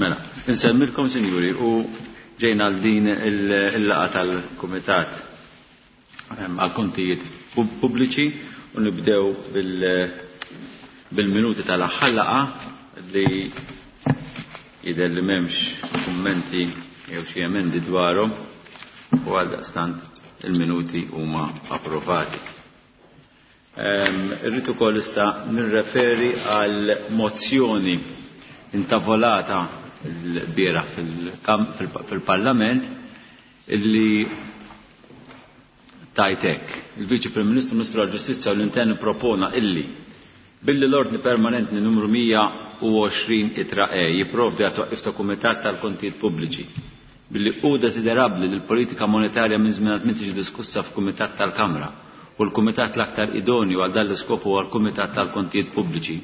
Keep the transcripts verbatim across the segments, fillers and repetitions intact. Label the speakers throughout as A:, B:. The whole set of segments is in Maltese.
A: Mela, insemmilkom, sinjuri, u ġejna għal din il-laqgħa tal-Kumitat għal-Kontijiet Pubbliċi u nibdew bil-minuti tal-aħħar laqgħa li jidher li m'hemmx kummenti jew xi emendi dwarhom u għaldaqstant il-minuti huma approvati. Irrid ukoll issa nirreferi għal mozzjoni intavolata l-bieraħ fil-Parlament illi tajtek. Il-Viċi Prim Ministru, Ministru għall-Ġustizzja u l-Intern propona illi billi l-ordni permanenti numru mija u għoxrin itra E jipprovdi għat-twaqqif ta' Kumitat tal-Kontijiet Pubbliċi, billi hu desiderabbli li l-politika monetarja minn żmien għal żmien tiġi diskussa f'Kumitat tal-Kamra u l-Kumitat l-aktar idonju għal dan l-iskop huwa l-Kumitat tal-Kontijiet Pubbliċi.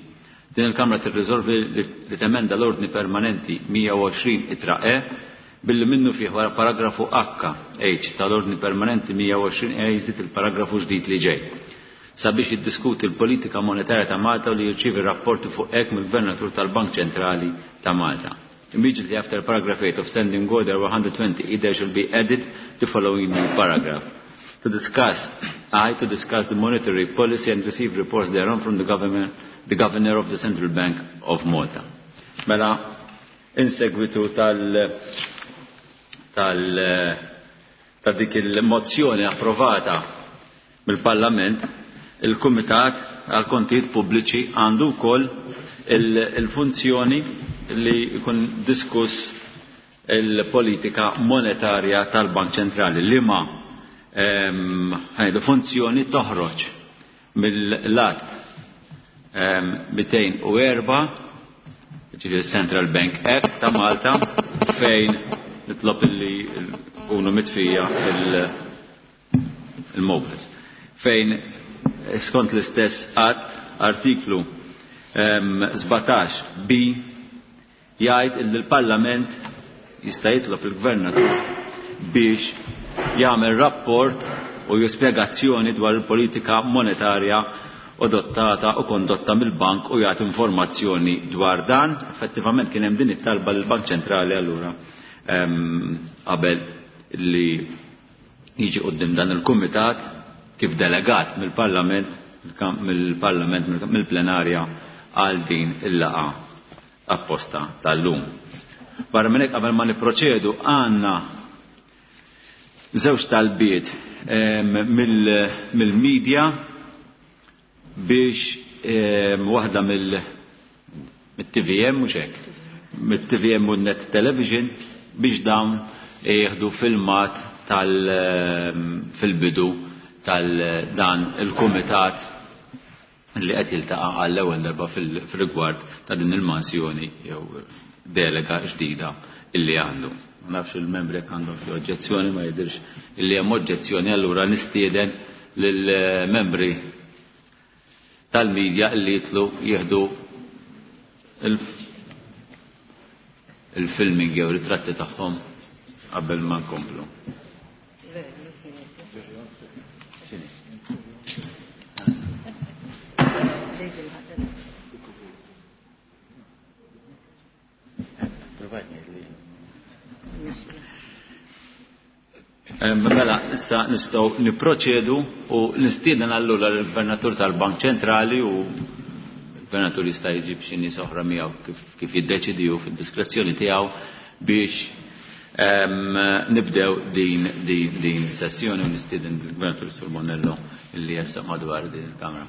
A: Din il-Kamra tirriżolvi li temenda l-ordni permanenti mija u għoxrin itra E billi minnu fih wara paragrafu H H tal-ordni permanenti mija u għoxrin E jiżdied il-paragrafu ġdid li ġej sabiex jiddiskuti l-politika monetarja ta' Malta u li jirċievi rapporti fuq hekk mill-Gvernatur tal-Bank Ċentrali ta' Malta. Immediately after paragraph eight of Standing Order one hundred twenty, there shall be added the following new paragraph. To discuss, I to discuss the monetary policy and receive reports thereon from the government, the Governor of the Central Bank of Malta. Mela, in segwitu tal, tal, ta' dik il-mozzjoni approvata mill-Parlament, il-Kumitat għal-Kontijiet Pubbliċi għandu wkoll il-funzjoni li jkun diskuss il-politika monetarja tal-Bank Ċentrali, li ma, ehm, ħajdu funzjoni toħroġ mill-lat, ehm, mitejn u erba', ġifieri Central Bank Act ta' Malta, fejn nitlob illi kunu mitfija il-, il-mobiles. Fejn skont l-istess att artiklu, ehm, sbatax B jgħid illi l-Parlament jista' jitlob il-Gvernatur biex jagħmel rapport u jispjegazzjoni dwar il-politika monetarja adottata u kondotta mill-bank u jagħti informazzjoni dwar dan. Effettivament kien hemm din it-talba lill-Bank Ċentrali allura, ehm, qabel li jiġi quddiem dan il-kumitat kif delegat mill-Parlament, mill-Parlament, mill-plenarja għal din il-laqgħa apposta tal-lum. Barra minn hekk qabel ma nipproċedu għandna żewġ talbiet, ehm, mill-, mill-medja biex, ehm, waħda mill-, mit-T V M mhux hekk, mit-T V M u Net Television biex dawn jieħdu filmat tal-, ehm, fil-bidu tal-dan il-kumitat li qed jiltaqa' għall-ewwel darba fil-, fil-rigward ta' din il-mansjoni jew delega ġdida illi għandu. Ma nafx il-membri jekk għandhom xi oġġezzjoni, ma jidhirx illi hemm oġġezzjoni, allura nistieden lill-membri tal-medja illi jitlu jieħdu il-, il-filming jew ritratti tagħhom qabel ma nkomplu. Mela, issa nistgħu nipproċedu u nistieden allura l-Gvernatur tal-Bank Ċentrali u l-Gvernatur jista' jġib xi nies oħra miegħu kif, kif jiddeċidi hu fid-diskrezzjoni tiegħu biex, ehm, nibdew din, din, din is-sessjoni u nistieden l-Gvernatur Sur Bonello li jersaq madwar din il-Kamra.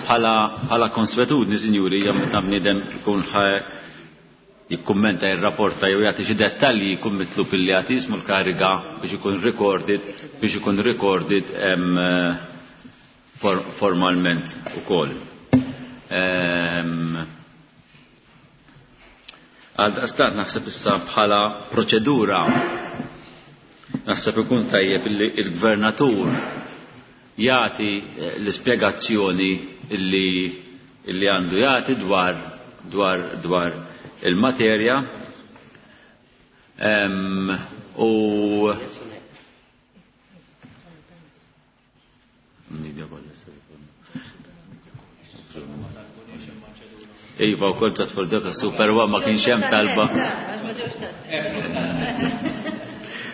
A: Bħala, bħala konswetudni, sinjuri, hija meta bniedem ikun ħa jikkummenta, jirrapporta jew jagħti xi dettalji jkun mitlub illi jagħti ismu l-kariga biex ikun recorded, biex ikun recorded, em, for-, formalment ukoll. Em, Għaldaqstant naħseb issa bħala proċedura naħseb ikun tajjeb illi il-gvernatur jagħti, eh, l-ispjegazzjoni illi, illi għandu jagħti dwar, dwar, dwar il-materja. Em, u Iva wkoll just for the super one ma kienx hemm talba.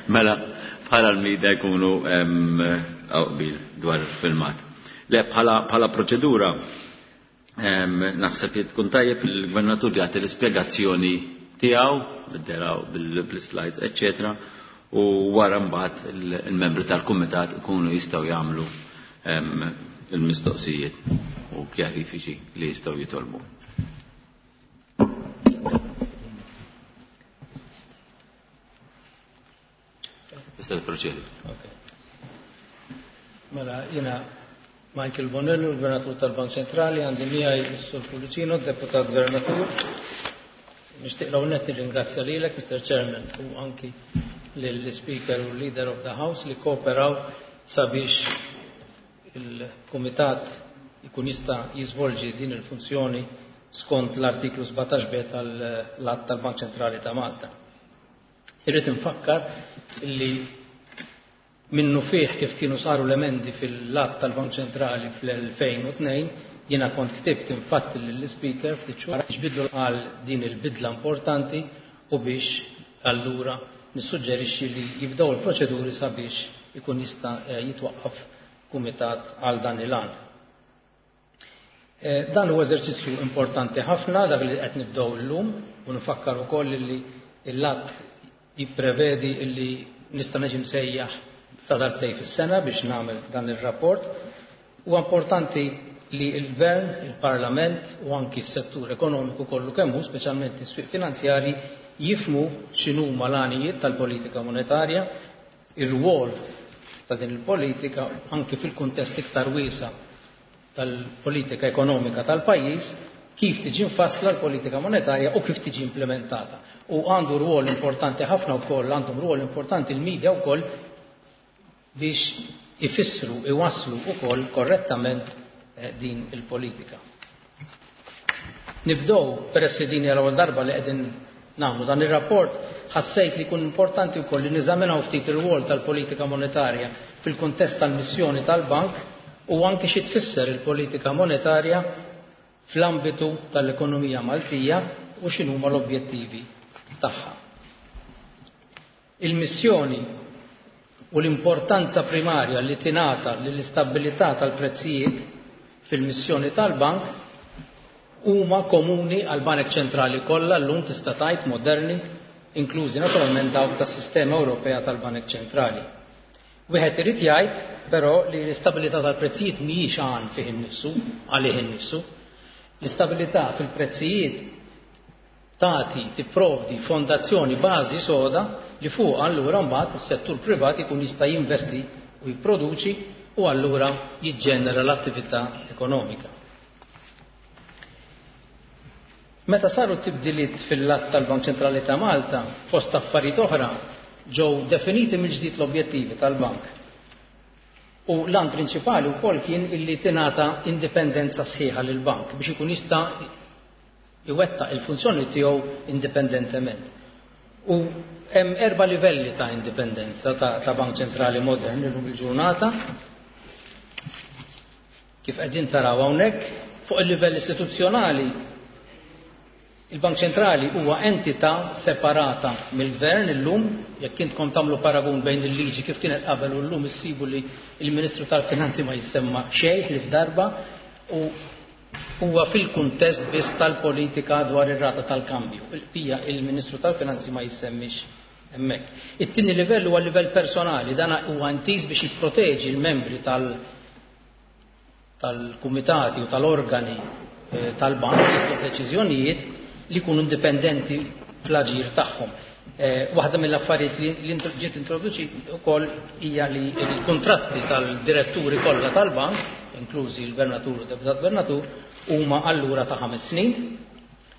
A: Mela, bħala l-media jkunu qbil dwar filmat. Le, bħala proċedura, naħseb li tkun tajjeb il-gvernatur jagħti l-ispjegazzjoni tiegħu, bid-deraw bil-slides, eċċetera, u wara mbagħad il-membri tal-kumitat ikunu jistgħu jagħmlu il-mistoqsijiet u kjarifiċi li jistgħu jitolbu. Tista' tipproċedi.
B: Mela, jiena Michael Bonello, l-Gvernatur tal-Bank Ċentrali, għandi miegħi s-Sur Pullicino, deputat Gvernatur. Nixtieq l nett nirringrazzja lilek, Mister Chairman, u anki lill-Speaker u Leader of the House li kooperaw sabiex il-Kumitat ikun jista' jiżvolġi din il-funzjoni skont l-artiklu sbatax b tal-Att tal-Bank Ċentrali ta' Malta. Irrid infakkar li minnu fih kif kienu saru l-emendi fil-Att tal-Bank Ċentrali fl-elfejn u tnejn, jiena kont ktibt infatti lill-Speaker ftit xhur biex bidlu għal din il-bidla importanti u biex allura nissuġġerixxi li jibdew il-proċeduri sabiex ikun jista' jitwaqqaf kumitat għal dan il-għan. Dan huwa eżerċizzju importanti ħafna dak li qed nibdew illum u nfakkar ukoll li l-att jipprevedi li nista' niġi msejjaħ sa darbtejn fis-sena biex nagħmel dan ir-rapport. Huwa importanti li l-Gvern, il-Parlament u anki s-settur ekonomiku kollu kemm hu, speċjalment is-swieq finanzjarji, jifmu x'inhuma l-għanijiet tal-politika monetarja, ir-rwol ta' din il-politika anki fil-kuntest iktar wiesa' tal-politika ekonomika tal-pajjiż, kif tiġi mfassla l-politika monetarja u kif tiġi implementata. U għandu rwol importanti ħafna wkoll, għandhom rwol importanti l-medja wkoll biex ifissru, iwasslu wkoll korrettament din il-politika. Nibdew, peress li din hija l-ewwel darba li qegħdin nagħmlu dan ir-rapport, ħassejt li jkun importanti wkoll li niżaminaw ftit ir-rwol tal-politika monetarja fil-kuntest tal-missjoni tal-bank u anke xi tfisser il-politika monetarja fl-ambitu tal-ekonomija Maltija u x'inhuma l-objettivi tagħha. Il-missjoni u l-importanza primarja li tingħata lill-istabilità tal-prezzijiet fil-missjoni tal-bank huma komuni għal banek ċentrali kollha llum tista' tgħid moderni, inklużi naturalment dawk tas-sistema Ewropea tal-Banek Ċentrali. Wieħed irid jgħid però li l-istabilità tal-prezzijiet mhijiex għan fih innifsu, għalih innifsu. L-istabilità fil-prezzijiet tagħti tipprovdi fondazzjoni bażi soda li fuq allura mbagħad is-settur privat ikun jista' jinvesti u jipproduċi u allura jiġġenera l-attività ekonomika. Meta saru tibdiliet fil-att tal-Bank Ċentrali ta' Malta, fost affarijiet oħra, ġew definiti mill-ġdid l-objettivi tal-bank. U l-għan prinċipali wkoll kien illi tingħata indipendenza sħiħa lill-bank biex ikun jista' iwettaq il-funzjoni tiegħu indipendentement. U hemm erba' livelli ta' indipendenza ta', ta' Bank Ċentrali modern illum il-ġurnata. Kif qegħdin taraw hawnhekk, fuq il-livell istituzzjonali il-Bank Ċentrali huwa entità separata mill-Gvern illum, jekk intkom tagħmlu paragun bejn il-liġi kif kienet qabel u llum issibu li l-Ministru tal-Finanzi ma jissemma xejn li f'darba u huwa fil-kuntest biss tal-politika dwar ir-rata tal-kambju. Il-pija il-Ministru tal-Finanzi ma jissemmix hemmhekk. It-tieni livell huwa livell personali, dan huwa intiż biex jipproteġi l-membri tal- tal-kumitati u tal-organi tal-bank jieħdu deċiżjonijiet li jkunu indipendenti fl-aġir tagħhom. Waħda mill-affarijiet li ġiet introduċi wkoll hija li l-kuntratti tal-diretturi kollha tal-bank, inklużi l-gvernatur u deputat gvernatur, huma allura ta' ħames snin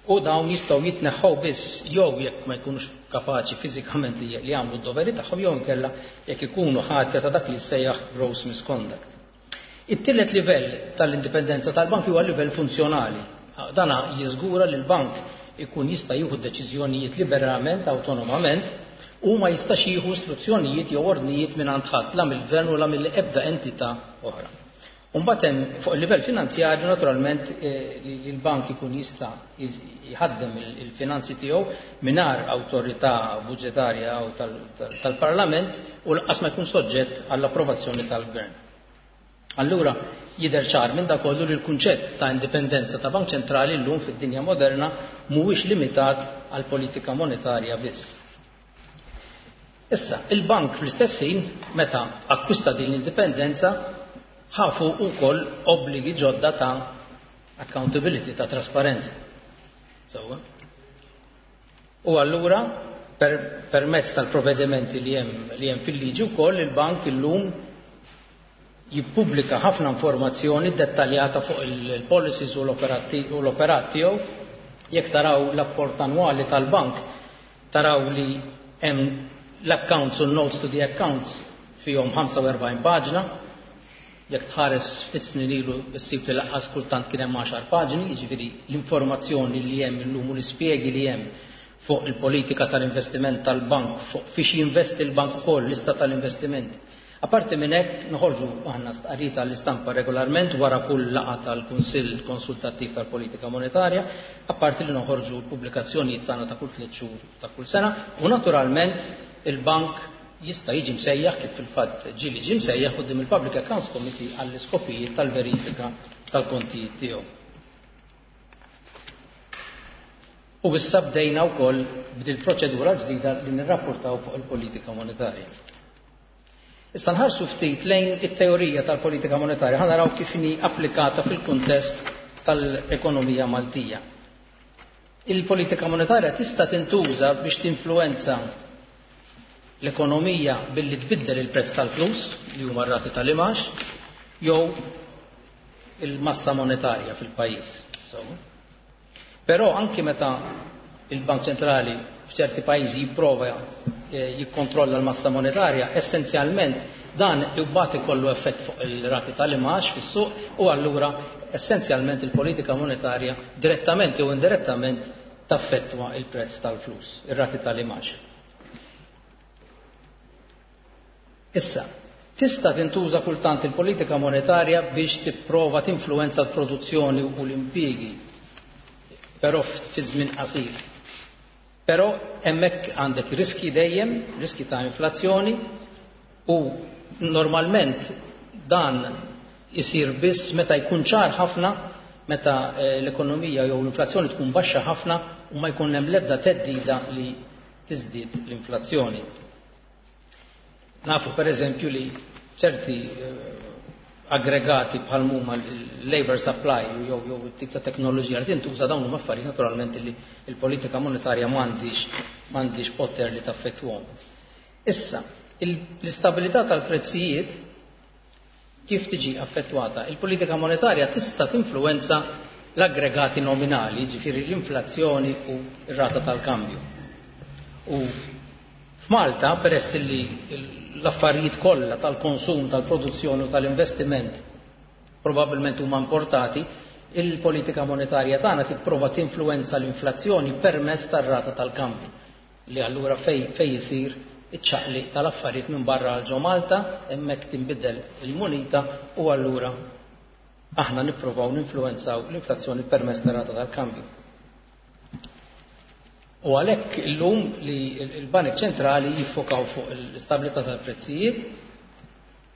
B: u dawn jistgħu jitneħħu biss jew jekk ma jkunux kapaċi fiżikament li jagħmlu d-doveri tagħhom jew inkella jekk ikunu ħatja ta' dak li jsejjaħ gross misconduct. It-tielet livell tal-indipendenza tal-bank huwa livell funzjonali. Dana jiżgura li l-bank ikun jista' jieħu deċiżjonijiet liberament, autonomament, u ma jistax jieħu istruzzjonijiet jew ordnijiet minn għand ħadd, la mill-gvern u la mill-ebda entità oħra. Mbagħad hemm fuq il-livell finanzjarju naturalment li l-bank ikun jista' jħaddem il-finanzi tiegħu mingħajr awtorità budġetarja jew tal-Parlament u lanqas ma jkun soġġett għall-approvazzjoni tal-Gvern. Allura jidher ċar minn dak kollu li l-kunċett ta' indipendenza ta' Bank Ċentrali llum fid-dinja moderna mhuwiex limitat għal politika monetarja biss. Issa, il-bank fl-istess ħin meta akkwista din l-indipendenza ħafu wkoll obbligi ġodda ta' accountability, ta' trasparenza. Sewwa. U allura per, permezz tal-provvedimenti li hemm li hemm fil-liġi wkoll il-bank illum jippubblika ħafna informazzjoni dettaljata fuq il-policies u l-operat tiegħu. Jekk taraw l-apport annwali tal-bank, taraw li hemm l-accounts u notes to the accounts fihom ħamsa u erbgħin paġna. Jekk tħares ftit snin ilu ssib li lanqas kultant kien hemm għaxar paġni, jiġifieri l-informazzjoni li hemm illum u l-ispjegi li hemm fuq il-politika tal-investiment tal-bank, fuq fiex jinvesti l-bank ukoll, lista tal-investiment. Apparti minn hekk noħorġu aħna stqarrijiet għall-istampa regolarment wara kull laqgħa tal-Kunsill Konsultattiv tal-Politika Monetarja, apparti li noħorġu l-pubblikazzjonijiet tagħna ta' kull tliet xhur ta' kull sena, u naturalment il-bank jista' jiġi msejjaħ kif fil-fatt ġieli ġie msejjaħ quddiem il-Public Accounts Committee għall-iskopijiet tal-verifika tal-kontijiet tiegħu. U issa bdejna wkoll b'dil proċedura ġdida li nirrapportaw fuq il-politika monetarja. Issa nħarsu ftit lejn it-teorija tal-politika monetarja, ħa naraw kif inhi applikata fil-kuntest tal-ekonomija Maltija. Il-politika monetarja tista' tintuża biex tinfluwenza l-ekonomija billi tbiddel il-prezz tal-flus, li huma r-rati tal-imax, jew il-massa monetarja fil-pajjiż. Però anki meta il-Bank Ċentrali f'ċerti pajjiżi jipprova jikkontrolla l-massa monetarja, essenzjalment dan imbagħad ikollu effett fuq il-rati tal-imax fis-suq u allura essenzjalment il-politika monetarja direttament jew indirettament taffettwa il-prezz tal-flus, ir-rati tal-imax. Issa, tista' tintuża kultant il-politika monetarja biex tipprova tinfluwenza l-produzzjoni u l-impjiegi, però fi żmien qasir. Però hemmhekk għandek riski dejjem, riski ta' inflazzjoni, u normalment dan isir biss meta jkun ċar ħafna, meta l-ekonomija jew l-inflazzjoni tkun baxxa ħafna u ma jkun hemm l-ebda theddida li tiżdied l-inflazzjoni. Nafu per eżempju li ċerti aggregati bħal huma l-labor supply jew jew it-tip ta' teknoloġija li tintuża dawn huma affarijiet naturalment li l-politika monetarja m'għandix m'għandix poter li taffettwhom. Issa, l-istabilità tal-prezzijiet kif tiġi affettwata? Il-politika monetarja tista' tinfluwenza l-aggregati nominali, ġifieri l-inflazzjoni u r-rata tal-kambju. U f'Malta, peress li l-affarijiet kollha tal-konsum, tal-produzzjoni u tal-investiment probabbilment huma importati, il-politika monetarja tagħna tipprova tinfluwenza l-inflazzjoni permezz tar-rata tal-kambju, li allura fej fej isir iċ-ċaqliq tal-affarijiet minn barra għal ġo Malta, hemmhekk tinbidel il-munita u allura aħna nippruvaw ninfluwenzaw l-inflazzjoni permezz tar-rata tal-kambju. U għalhekk illum li l-Banek Ċentrali jiffokaw fuq l-istabilità tal-prezzijiet,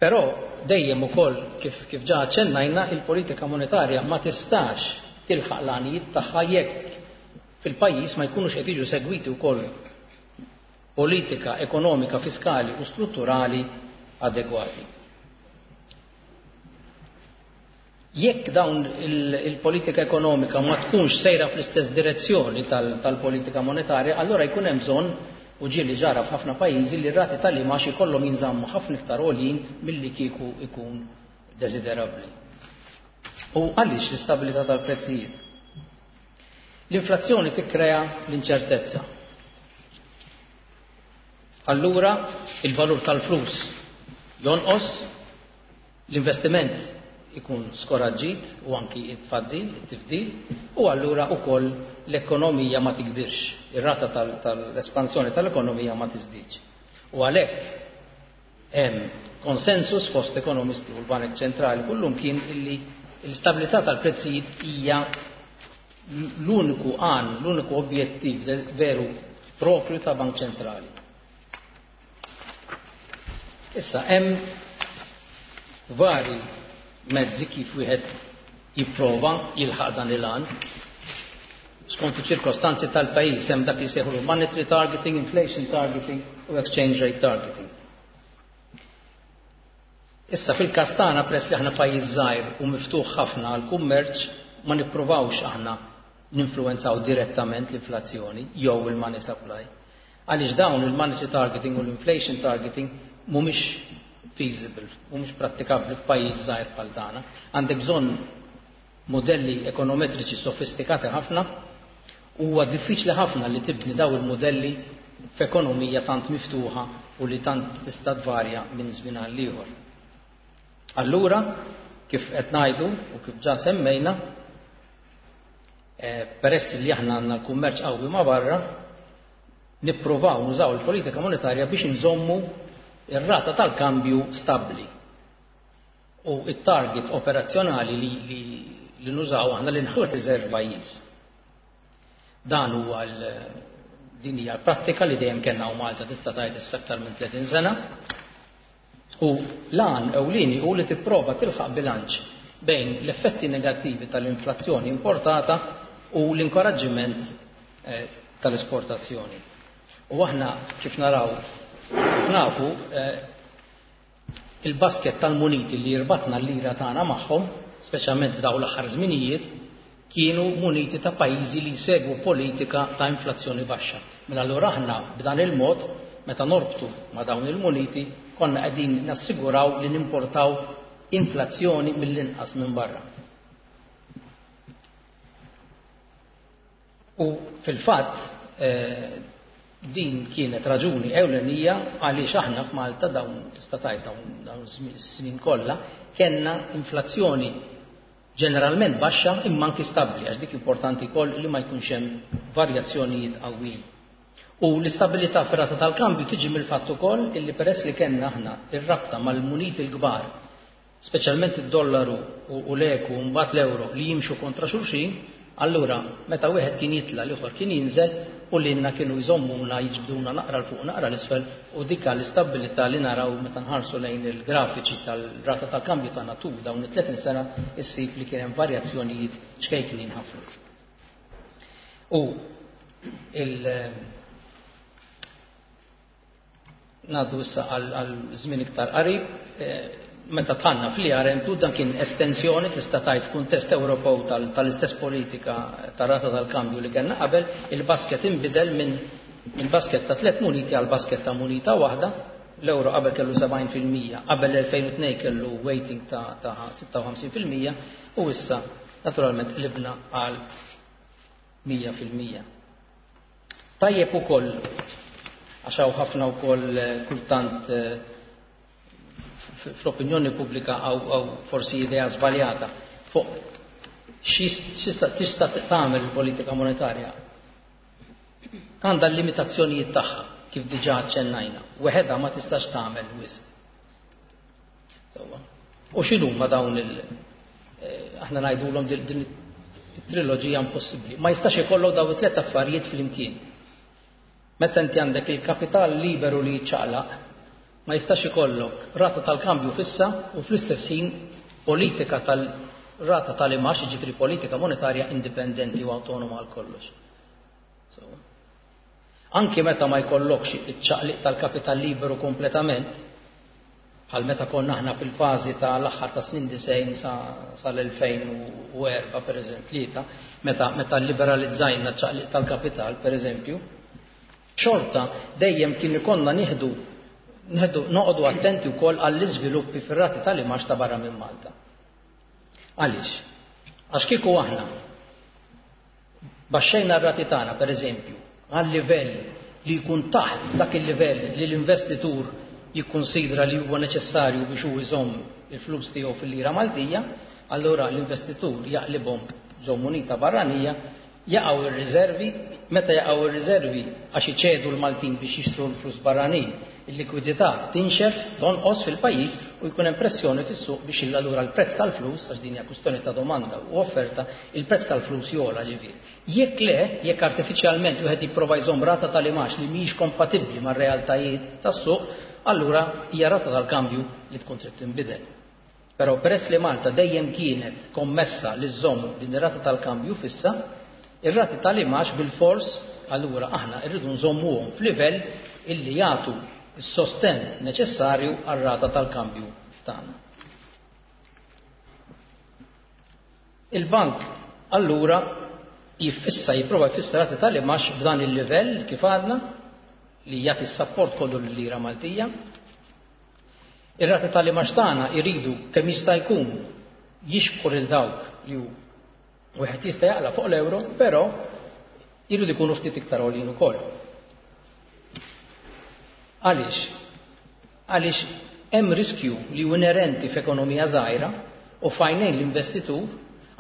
B: però dejjem ukoll kif kif ġa aċċennajna il-politika monetarja ma tistax tilħaq l-għanijiet tagħha jekk fil-pajjiż ma jkunux qed jiġu segwiti wkoll politika ekonomika, fiskali u strutturali adegwati. Jekk dawn il-politika ekonomika ma tkunx sejra fl-istess direzzjoni tal-politika monetarja, allura jkun hemm bżonn, u ġieli ġara f'ħafna pajjiżi, li r-rati tal-imax ikollhom jinżammu ħafna iktar għoljin milli kieku ikun desiderabbli. U għaliex l-istabilità tal-prezzijiet? L-inflazzjoni tikkrea l-inċertezza. Allura il-valur tal-flus jonqos, l-investiment ikun skoraġġit u anki it-tfaddil, it-tifdil, u allura wkoll l-ekonomija ma tikbirx, ir-rata tal-espansjoni tal-ekonomija ma tiżdiedx. U għalhekk hemm Konsensus fost ekonomisti u l-Banek Ċentrali kullum kien illi l-istabilità tal-prezzijiet hija l-uniku għan, l-uniku objettiv veru propju ta' Bank Ċentrali. Issa hemm vari mezzi kif wieħed jipprova jilħaq dan il-għan. Skont iċ-ċirkostanzi tal-pajjiż hemm dak li jsejħu monetary targeting, inflation targeting u exchange rate targeting. Issa fil-każ tagħna, peress li aħna pajjiż żgħir u miftuħ ħafna għall kummerċ, ma nippruvawx aħna ninfluwenzaw direttament l-inflazzjoni jew il-money supply. Għaliex dawn il-monetary targeting u l-inflation targeting mhumiex feasible, mhumiex prattikabbli f'pajjiż żgħir bħal tagħna. Għandek bżonn modelli ekonometriċi sofistikati ħafna. Huwa diffiċli ħafna li tibni daw il-modelli f'ekonomija tant miftuħa u li tant tista' tvarja minn żmien għal ieħor. Allura, kif qed ngħidu u kif ġa semmejna, eh, peress li aħna għandna l-kummerċ qawwi ma' barra, nippruvaw nużaw il-politika monetarja biex nżommu ir-rata tal-kambju stabbli. U it-target operazzjonali li, li, li nużaw aħna li nħu riserv pajjiż. Dan huwa din hija l-prattika li dejjem kellna u Malta tista' tgħid issa aktar minn tletin sena. U l-għan ewlieni hu li tipprova tilħaq bilanċ bejn l-effetti negattivi tal-inflazzjoni importata u l-inkoraġġiment eh, tal-esportazzjoni. U aħna kif naraw, kif nafu, eh, il-basket tal-muniti li jirbatna l-lira tagħna magħhom, speċjalment dawn l-aħħar żminijiet, kienu muniti ta' pajjiżi li jsegwu politika ta' inflazzjoni baxxa. Mela allura aħna b'dan il-mod, meta norbtu ma' dawn il-muniti, konna qegħdin nassiguraw li nimportaw inflazzjoni mill-inqas minn barra. U fil-fatt eh, din kienet raġuni ewlenija għaliex aħna f'Malta dawn tista' tgħid dawn dawn snin kollha kellna inflazzjoni ġeneralment baxxa imma anki stabbli, għax dik importanti wkoll li ma jkunx hemm varjazzjonijiet qawwijin. U l-istabilità fir-rata tal-kambju tiġi mill-fatt ukoll illi peress li kellna aħna ir-rabta mal-muniti l-kbar, speċjalment id-dollaru u l-eku u mbagħad l-euro li jimxu kontra xulxin, allura meta wieħed kien jitla' l-ieħor kien jinżel u lilna kienu jżommuna jiġbduna naqra l fuq naqra l-isfel, u dik l-istabilità li naraw meta nħarsu lejn il-grafiċi tal-rata tal-kambju tagħna tul dawn it-tletin sena issib li kien hemm varjazzjonijiet ċkejknin ħafna. U il ngħaddu issa għal żmien iktar qarib, meta tħanna fl-I R M two dan kien estensjoni tista' tgħid f'kuntest Ewropew tal-istess politika tar-rata tal-kambju li kellna qabel, il-basket inbidel minn minn basket ta' tliet muniti għal basket ta' munita waħda. L-euro qabel kellu sebgħin fil-mija, qabel l-elfejn u tnejn kellu weighting ta', ta' sitta u ħamsin fil-mija u issa naturalment qlibna għal mija fil-mija. Tajjeb ukoll għax hawn ħafna wkoll kultant fl-opinjoni pubblika għaw forsi idea żbaljata fuq x'tista' tista' tagħmel il-politika monetarja. Għandha l-limitazzjonijiet tagħha kif diġà aċċennajna. Weħedha ma tistax tagħmel wisq. Sewwa. U x'inhuma dawn il aħna ngħidulhom din it-triloġija impossibbli. Ma jistax ikollok dawn it-tliet affarijiet flimkien. Meta inti għandek il-kapital liberu li jiċċaqlaq, ma jistax ikollok rata tal-kambju fissa u fl-istess ħin politika tal-rata tal-imax, jiġifieri politika monetarja indipendenti u autonoma għal kollox. So, anki meta ma jkollokx iċ-ċaqliq tal-kapital liberu kompletament, bħal meta konna aħna fil-fażi tal-aħħar ta' snin disgħin sal-elfejn u erba' pereżempju, tlieta, meta, meta liberalizzajna ċ-ċaqliq tal-kapital pereżempju, xorta dejjem kien ikollna nieħdu Nħeddu noqogħdu attenti wkoll għall-iżviluppi fir-rati tal-imax ta' barra minn Malta. Għaliex? Għax kieku aħna baxxejna r-rati tagħna pereżempju għal livell li jkun taħt dak il-livell li l-investitur jikkunsidra li huwa neċessarju biex hu jżomm il-flus tiegħu fil-lira Maltija, allura l-investitur jaqlibhom ġo munita barranija, jaqgħu ir-riservi, Meta jaqgħu ir-riservi għax iċedu l-Maltin biex jixtru l-flus barranin, il-likwidità tinxef, tonqos fil-pajjiż u jkun hemm pressjoni fis-suq biex allura l-prezz tal-flus, għax din hija kwistjoni ta' domanda u offerta, il-prezz tal-flus jogħla ġifieri. Jekk le, jekk artifiċjalment wieħed jipprova jżomm rata tal-imax li mhijiex kompatibbli mar-realtajiet tas-suq, allura hija rata tal-kambju li tkun trid tinbidel. Però peress li Malta dejjem kienet kommessa li żżomm din ir-rata tal-kambju fissa, ir-rati tal-imax bil-fors allura aħna rridu nżommuhom f'livell illi jagħtu s-sostenn neċessarju għar-rata tal-kambju tagħna. Il-bank allura jiffissa, jipprova jfissa rati tal-imax f'dan il-livell kif għadna li jagħti s-sapport kollu lil-lira Maltija. Ir-rati tal-imax tagħna jridu kemm jista' jkun jixbħu lil dawk li wieħed jista' jaqla fuq l-euro, però jridu jkunu ftit iktar għoljin ukoll. Għaliex? Għaliex hemm riskju li hu inerenti f'ekonomija żgħira u f'għajnejn l-investitur,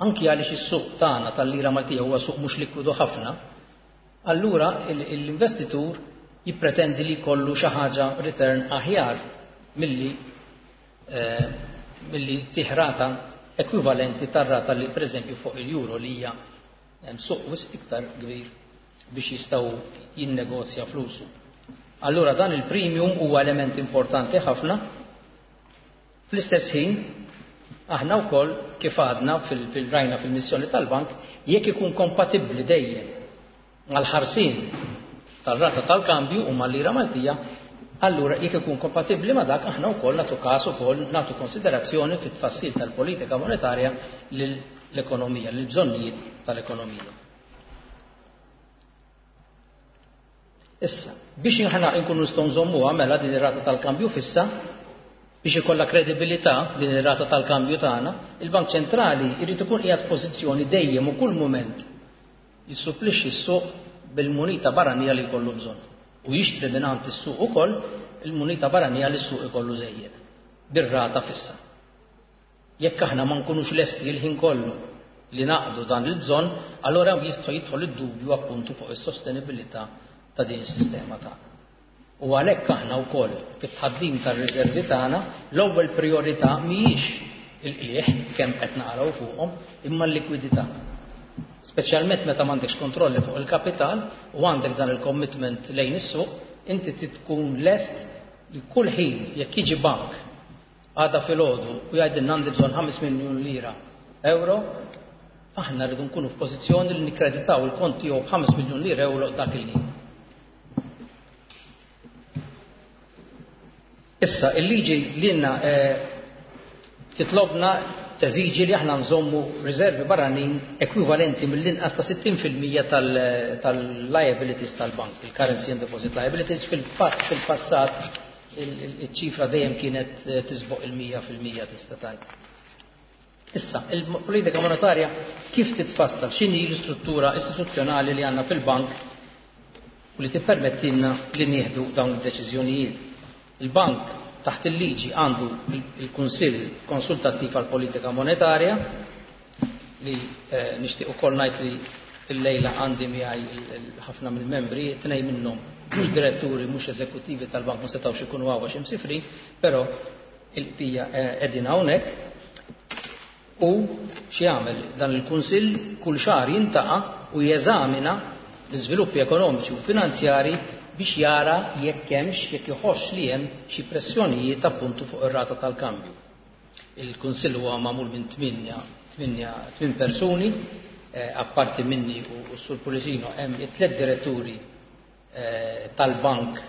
B: anki għaliex is-suq tagħna tal-lira Maltija huwa suq mhux likwidu ħafna, allura l-investitur jippretendi li jkollu xi ħaġa return aħjar milli eh, milli tiħrata ekwivalenti tar-rata li pereżempju fuq il-euro li hija suq wisq iktar kbir biex jistgħu jinnegozja flusu. Allura dan il-premium huwa element importanti ħafna. Fl-istess ħin aħna wkoll kif għadna fil-rajna fil-missjoni tal-bank, jekk ikun kompatibbli dejjem mal-ħarsien tar-rata tal-kambju u mal-lira Maltija, allura jekk ikun kompatibbli ma' dak aħna wkoll nagħtu każ ukoll nagħtu konsiderazzjoni fit-tfassil tal-politika monetarja lill-ekonomija, lill-bżonnijiet tal-ekonomija. Issa, biex aħna nkunu nistgħu nżommuha mela din ir-rata tal-kambju fissa, biex ikollha kredibilità din ir-rata tal-kambju tagħna, il-Bank Ċentrali jrid ikun qiegħed f'pożizzjoni dejjem u kull mument jissupplixxi s-suq bil-munita barranija li jkollu bżonn u jixtri mingħand is-suq ukoll il-munita barranija li s-suq ikollu żejjed bir-rata fissa. Jekk aħna ma nkunux lesti l-ħin kollu li naqdu dan il-bżonn, allura jista' jidħol id-dubju appuntu fuq is-sostenibilità ta' din is-sistema tagħna. U għalhekk aħna wkoll fit-tħaddim tar-riservi tagħna l-ewwel priorità mhijiex il-qligħ kemm qed naqraw fuqhom, imma l-likwidità. Speċjalment meta m'għandekx kontrolli fuq il-kapital u għandek dan il-commitment lejn is-suq, inti tkun lest li kull ħin jekk jiġi bank għada filgħodu u jgħidilna għandi bżonn ħames miljun lira euro, aħna rridu nkunu f'pożizzjoni li nikkreditaw il-kont tiegħu b'ħames miljun lira euro dak il-ħin. Issa, il-liġi li għandna titlobna teżiġi li aħna nżommu riservi barranin ekwivalenti mill-inqas ta' sittin fil-mija tal-liabilities tal-bank, il-currency and deposit liabilities. Fil-fatt fil-passat il-ċifra dejjem kienet tisboq il-mija fil-mija tista' tgħid. Issa, il-politika monetarja kif titfassal, x'inhi l-istruttura istituzzjonali li għandna fil-bank u li tippermettilna li nieħdu dawn id-deċiżjonijiet. Il-bank taħt il-liġi għandu il-Kunsill Konsultattiv għal Politika Monetarja li eh, nixtieq ukoll ngħid li l-lejla għandi miegħi ħafna mill-membri, tnejn minnhom mhux diretturi, mhux eżekuttivi tal-bank ma setgħux ikunu hawn għax imsifrin, però il-qbija qegħdin hawnhekk. U x'jagħmel dan il-Kunsill kull xahar jintaqa' u jeżamina l-iżviluppi ekonomiċi u finanzjari biex jara jekk hemmx, jekk iħoss li hemm xi pressjonijiet appuntu fuq ir-rata tal-kambju. Il-Kunsill huwa magħmul minn tminja, tminja, tmien persuni, eh, apparti minni u s-Sur Pullicino hemm it-tliet diretturi eh, tal-bank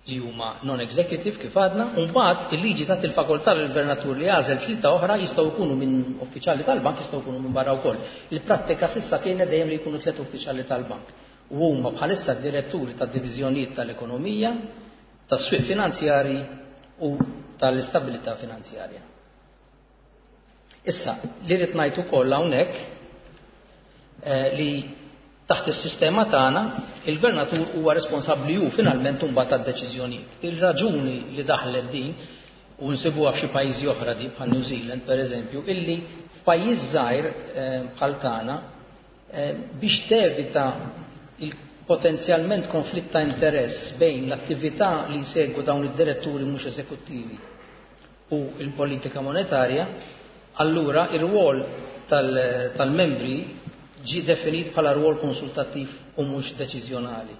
B: li huma non-executive kif għadna, u mbagħad il-liġi tagħti il-fakultà lill-gvernatur li jagħżel tlieta oħra jistgħu jkunu minn uffiċjali tal-bank, jistgħu jkunu minn barra wkoll. Il-prattika s'issa kienet dejjem li jkunu tliet uffiċjali tal-bank. U huma bħalissa diretturi tad-diviżjonijiet tal-ekonomija, tas-swieq finanzjari u tal-istabilità finanzjarja. Issa, li rrid ngħid ukoll hawnhekk eh, li taħt is-sistema tagħna il-gvernatur huwa responsabbli hu finalment imbagħad tad-deċiżjonijiet. Il-raġuni li daħlet din u nsibuha f'xi pajjiżi oħra di bħal New Zealand pereżempju, illi f'pajjiż żgħir eh, bħal tagħna eh, biex tevita il-potenzjalment konflitt ta' interess bejn l-attività li jsegwu dawn id-diretturi mhux eżekuttivi u l-politika monetarja, allura ir-rwol tal-membri ġie definit bħala rwol konsultattiv u mhux deċiżjonali.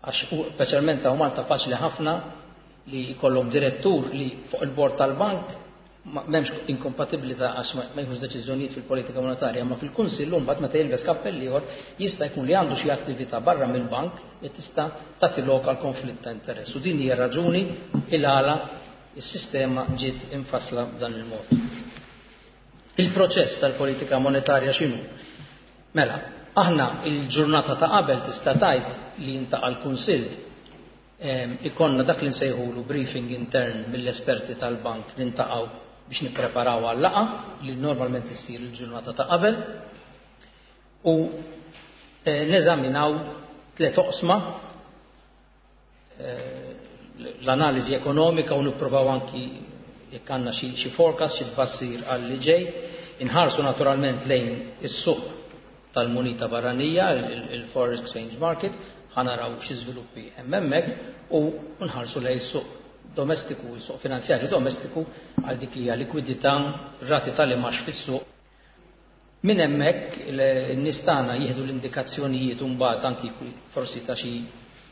B: Għax speċjalment hawn Malta faċli ħafna li jkollhom direttur li fuq il-bord tal-bank m'hemmx inkompatibilità għax ma jieħux deċiżjonijiet fil-politika monetarja, ma fil-kunsill mbagħad meta jilbes kappell ieħor jista' jkun li għandu xi attività barra mill-bank li tista' tagħti lok għal konflitt ta' interess. U din hija raġuni il għala is-sistema ġiet infassla b'dan il-mod. Il-proċess tal-politika monetarja x'inhu? Mela, aħna il-ġurnata ta' qabel tista' tgħid li jintaqa' l-Kunsill, ikonna dak li nsejħulu briefing intern mill-esperti tal-bank, nintaqgħu biex nippreparaw għal-laqgħa li normalment issir il-ġurnata ta' qabel u neżaminaw tliet oqsma, l-analiżi ekonomika u nippruvaw anki jekk għandna xi forecast, xi tbassir għal li ġej, inħarsu naturalment lejn is-suq tal-munita barranija, il-foreign exchange market, ħanaraw xi żviluppi hemm hemmhekk u nħarsu lejn is-suq domestiku, is-suq finanzjarju domestiku għal dik li hija likwidità, rati tal-imax fis-suq. Minn hemmhekk in-nies tagħna jieħdu l-indikazzjonijiet u mbagħad anki forsi ta' xi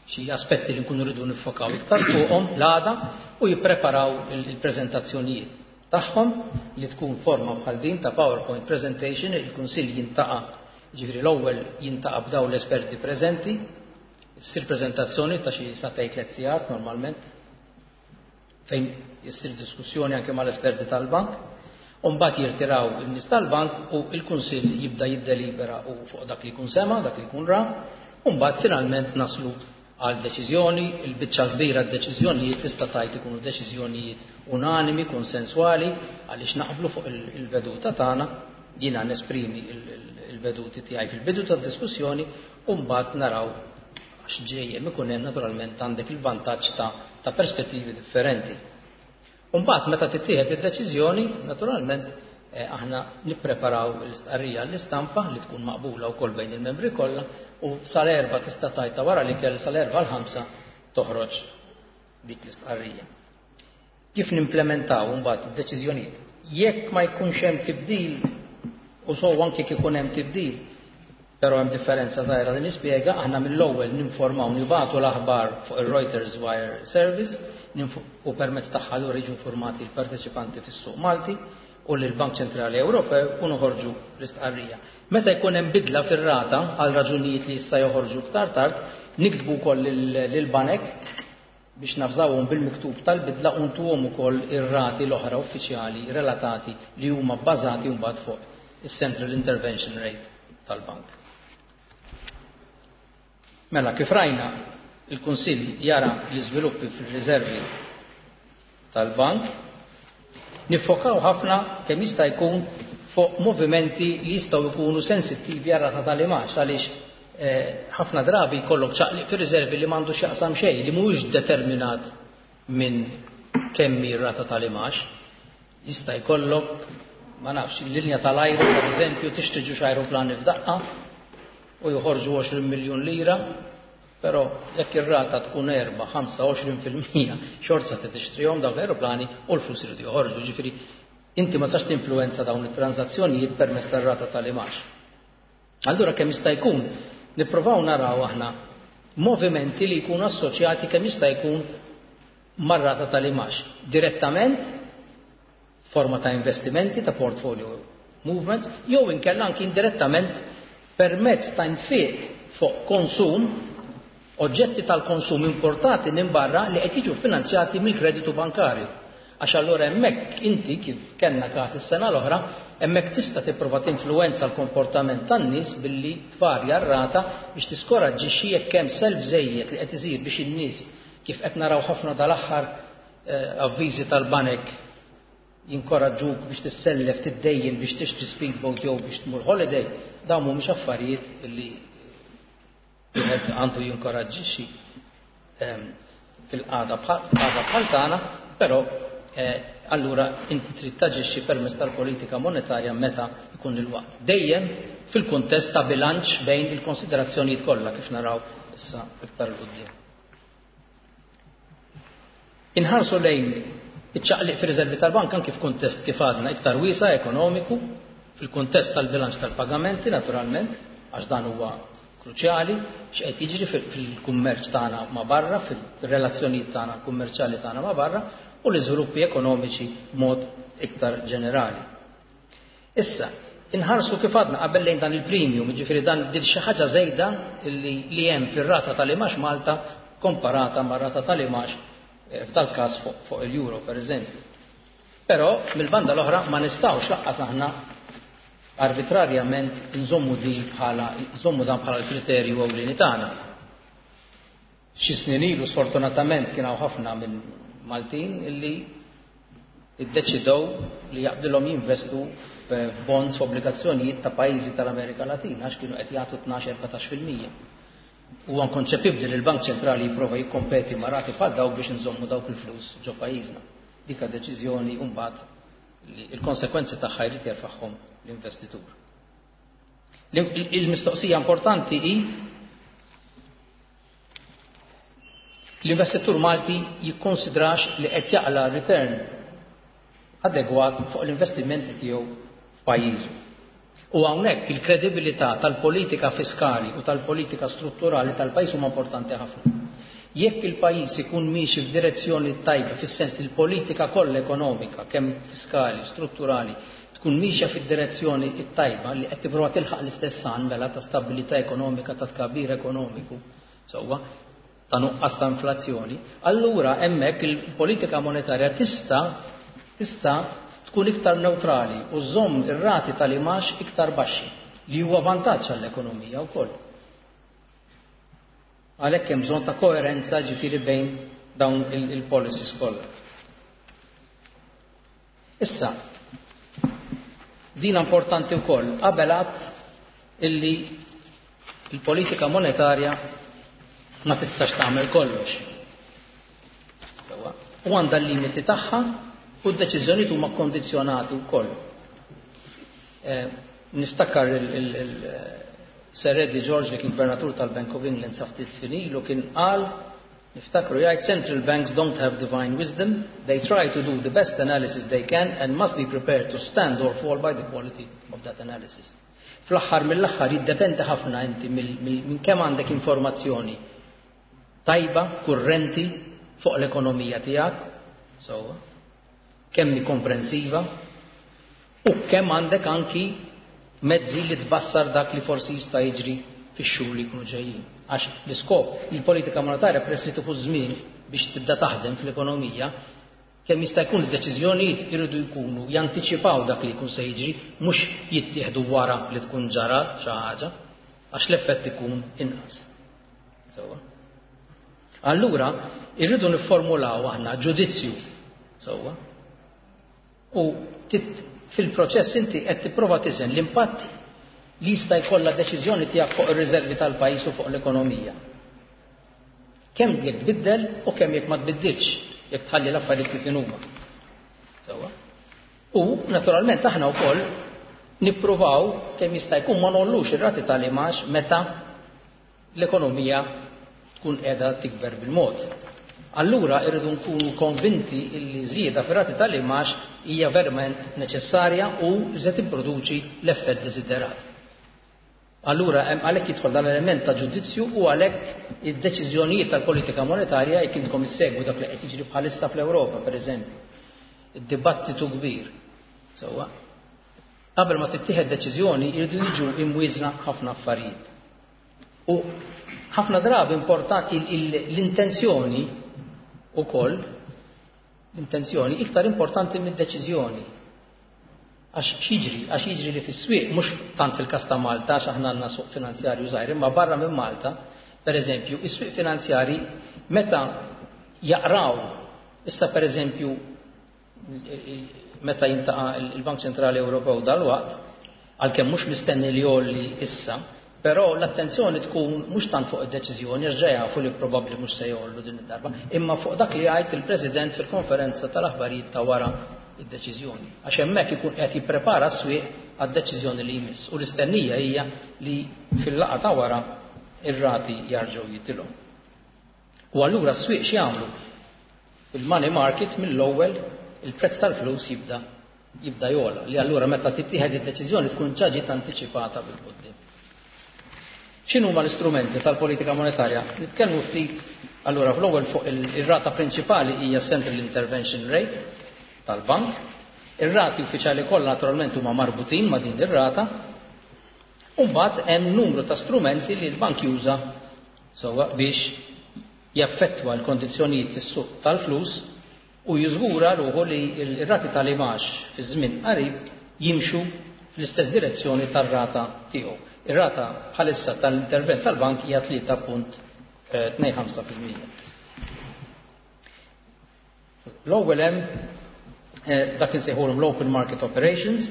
B: xi aspetti li nkunu rridu niffokaw iktar fuqhom l-għada u jippreparaw il-preżentazzjonijiet tagħhom li tkun forma bħal din ta' PowerPoint presentation. Il-Kunsill jintaqa', ġifieri l-ewwel jintaqa' b'daw l-esperti preżenti, issir preżentazzjoni ta' xi sagħtejn tliet sigħat normalment fejn issir diskussjoni anke mal-esperti tal-bank, u mbagħad jirtiraw in-nies tal-bank u l-Kunsill jibda jiddelibera u fuq dak li jkun sema, dak li jkun ra, u mbagħad finalment naslu għal deċiżjoni. Il-biċċa kbira d-deċiżjonijiet tista' tgħid ikunu deċiżjonijiet unanimi, konsensuali, għaliex naqblu fuq il-veduta tagħna, jiena nesprimi il-veduti tiegħi fil-bidu tad-diskussjoni u mbagħad naraw għax ġejjem ikun hemm naturalment għandek il-vantaġġ ta', ta' perspettivi differenti. U mbagħad meta tittieħed id-deċiżjoni, naturalment eh, aħna nippreparaw l-istqarrija l-istampa li tkun maqbula wkoll bejn il-membri kollha u sal-erba tista' tajta wara li kell sal-erba l-ħamsa toħroġ dik l-istqarrija. Kif nimplementaw mbagħad id-deċiżjonijiet? Jekk ma jkunx hemm tibdil, u so anke kif ikun hemm tibdil, però hemm differenza żgħira li nispjega, aħna mill-ewwel ninformaw, nibagħtu l-aħbar fuq il-Reuters Wire Service u permezz tagħha lura jiġu informati l-parteċipanti fis-suq Malti u lill-Bank Ċentrali Ewropew u noħorġu l-istqarrija. Meta jkun hemm bidla fir-rata għal raġunijiet li jista' joħorġu iktar tard, niktbu wkoll lill-banek biex nafżawhom bil-miktub tal-bidla u ntuhom ukoll ir-rati l-oħra uffiċjali relatati li huma bbażati mbagħad fuq is-Central Intervention Rate tal-bank. Mela, kif rajna, il-Kunsill jara l-iżviluppi fil-riservi tal-bank, niffokaw ħafna kemm jista' jkun fuq movimenti li jistgħu jkunu sensittivi għar rata tal-imax, għaliex ħafna drabi jkollok ċaqliq fir-riservi li m'għandux jaqsam xejn, li mhuwiex determinat minn kemm hi r-rata tal-imax. Jista' jkollok, ma nafx, il-linja tal-ajru, per eżempju, tixtri ġux ajruplani f'daqqa u joħorġu għoxrin miljun lira, però jekk ir-rata tkun erba', ħamsa, għoxrin fil-mija, xorta se tixtrihom dawk l-ajruplani u l-flus iridu joħorġu. Ġifieri inti ma sax tinfluwenza dawn it-transazzjonijiet permezz tar-rata tal-imax. Allura kemm jista' jkun nippruvaw naraw aħna movimenti li jkunu assoċjati kemm jista' jkun mar-rata tal-imax direttament forma ta' investimenti ta' portfolio movement, jew inkella anki indirettament permezz ta' nfiq fuq konsum, oġġetti tal-konsum importati minn barra li qed jiġu finanzjati mill-kreditu bankarju. Għax allura hemmhekk inti, kif kellna każ is-sena l-oħra, hemmhekk tista' tipprova tinfluwenza l-komportament tan-nies billi tvarja r-rata biex tiskoraġġixxi jekk hemm self żejjed li qed isir biex in-nies, kif qed naraw ħafna dal-aħħar avviżi tal-banek jinkoraġġuk biex tissellef, tiddejjen biex tixtri speedboat jew biex tmur holiday, dawn mhumiex affarijiet li wieħed għandu jinkoraġġixxi fil-qagħda bħal tagħna, però eh, allura inti trid taġixxi permezz tal-politika monetarja meta jkun il-waqt. Dejjem fil-kuntest ta' bilanċ bejn il-konsiderazzjonijiet kollha kif naraw issa iktar 'il quddiem. Inħarsu lejn iċ-ċaqliq fir-riservi tal-bank anki f'kuntest kif għadna iktar wiesa' ekonomiku, fil-kuntest tal-bilanċ tal-pagamenti naturalment, għax dan huwa kruċjali x'qed jiġri fil-kummerċ tagħna ma' barra, fil-relazzjonijiet tagħna kummerċjali tagħna ma' barra u l-iżviluppi ekonomiċi b'mod iktar ġenerali. Issa, inħarsu kif għadna qabel lejn dan il-premium, jiġifieri dan din xi ħaġa żejda li, li hemm fir-rata tal-imax Malta komparata mar-rata tal-imax eh, f'dal każ fuq fu il-euro per eżempju. Però mill-banda l-oħra ma nistgħux lanqas aħna arbitrarjament nżommu din bħala nżommu dan bħala l-kriterju ewlieni tagħna. Xi snin ilu sfortunatament kien hawn ħafna minn Maltin illi iddeċidew li jaqblilhom jinvestu f'bonds, f'obbligazzjonijiet ta' pajjiżi tal-Amerika Latina għax kienu qed jagħtu tnax erbatax fil-mija. Huwa inkonċepibbli li l-Bank Ċentrali jipprova jikkompeti ma' rati bħal dawk biex nżommu dawk il-flus ġo pajjiżna. Dika deċiżjoni mbagħad li l-konsekwenzi tagħha jrid jerfagħhom l-investitur. Il-mistoqsija importanti hi: l-investitur Malti jikkonsidrax li qed jaqla return adegwat fuq l-investimenti tiegħu f'pajjiżu? U hawnhekk il-kredibilità tal-politika fiskali u tal-politika strutturali tal-pajjiż huma importanti ħafna. Jekk il-pajjiż ikun miexi f'direzzjoni tajba, fis-sens li l-politika kollha ekonomika, kemm fiskali, strutturali, tkun miexja fid-direzzjoni tajba li qed tipprova tilħaq l-istess għan mela ta' stabilità ekonomika, ta' tkabbir ekonomiku, sewwa, ta' nuqqas ta' inflazzjoni, allura hemmhekk il-politika monetarja tista' tista' tkun iktar neutrali u żomm ir-rati tal-imax iktar baxxi, li huwa vantaġġ għall-ekonomija wkoll. Għalhekk hemm bżonn ta' koerenza ġifieri bejn dawn il-policies kollha. Issa, din importanti wkoll, qabel għadt illi il-politika monetarja ma tistax tagħmel kollox. U għandha l-limiti tagħha u d-deċiżjonijiet huma kondizzjonati wkoll. Eh, niftakar il-Sir Eddie George, li kien gvernatur tal-Bank of England sa ftit snin ilu, kien qal, niftakru jgħid, "Central banks don't have divine wisdom, they try to do the best analysis they can and must be prepared to stand or fall by the quality of that analysis." Fl-aħħar mill-aħħar jiddependi ħafna inti minn kemm għandek informazzjoni tajba, kurrenti fuq l-ekonomija tiegħek, so, kemm komprensiva, u kemm għandek anki mezzi li tbassar dak li forsi jista' jiġri fix-xhur li jkunu ġejjin. Għax l-iskop, il-politika monetarja, peress li tieħu żmien biex tibda taħdem fl-ekonomija, kemm jista' jkun id-deċiżjonijiet iridu jkunu jantiċipaw dak li jkun se jiġri, mhux jittieħdu wara li tkun ġara xi ħaġa, għax l-effett ikun inqas. Sewwa. Allura, irridu nifformulaw aħna ġudizzju. Sewwa. U fil-proċess inti qed tipprova tiżen l-impatt li jista' jkollha deċiżjoni tiegħek fuq ir-riservi tal-pajjiż u fuq l-ekonomija. Kemm jekk tbiddel u kemm jekk ma tbiddilx, jekk tħalli l-affarijiet kif huma. Sewwa. U naturalment aħna wkoll nippruvaw kemm jista' jkun ma ngħollux ir-rati tal-imax meta l-ekonomija tkun qiegħda tikber bil-mod. Allura irridu nkunu konvinti illi żieda fir-rati tal-imax hija verament neċessarja u se tipproduċi l-effett desiderat. Allura għalhekk jidħol dan l-element ta' ġudizzju u għalhekk id-deċiżjonijiet tal-politika monetarja, jekk intkom issegwu dak li qed jiġri bħalissa fl-Ewropa, pereżempju, id-dibattitu kbir. Sewwa. Qabel ma tittieħed deċiżjoni jridu jiġu imwieżna ħafna affarijiet. U ħafna drabi importanti l-intenzjoni ukoll, l-intenzjoni iktar importanti mid-deċiżjoni. Għax x'jiġri? Għax jiġri li fis-swieq, mhux tant fil-każ ta' Malta, għax aħna għandna suq finanzjarju żgħir, imma barra minn Malta, pereżempju, is-swieq finanzjari meta jaqraw, issa pereżempju meta jiltaqa' il-Bank Ċentrali Ewropew dalwaqt, għalkemm mhux mistenni li jgħolli issa, Però l-attenzjoni tkun mhux tant fuq id-deċiżjoni, għax ġa jafu li probabbli mhux se jgħollu din id-darba, imma fuq dak li jgħid il-President fil-konferenza tal-aħbarijiet ta' wara id-deċiżjoni. Għax hemmhekk ikun qed jipprepara s-swieq għad-deċiżjoni li jmiss. U l-istennija hija li fil-laqgħa ta' wara ir-rati jarġgħu jitilgħu. U allura s-swieq x'jagħmlu? Il-money market mill-ewwel il-prezz tal-flus jibda jibda jogħla, li allura meta tittieħed id-deċiżjoni tkun ġa ġiet antiċipata bil-quddiem. X'inhuma l-istrumenti tal-politika monetarja? Nitkellmu ftit allura fl-ewwel fuq ir-rata prinċipali hija Central Intervention Rate tal-bank. Ir-rati uffiċjali kollha naturalment huma marbutin ma' din ir-rata. U mbagħad hemm numru ta' strumenti li l-bank juża sewwa biex jaffettwa l-kondizzjonijiet fis-suq tal-flus u jiżgura ruħu li r-rati tal-imgħax fi żmien qarib jimxu fl-istess direzzjoni tar-rata tiegħu. Ir-rata bħalissa tal-intervent tal-bank hija tlieta punt tnejn ħamsa fil-mija. L-ewwel hemm, eh, dak insejħulhom l-open market operations.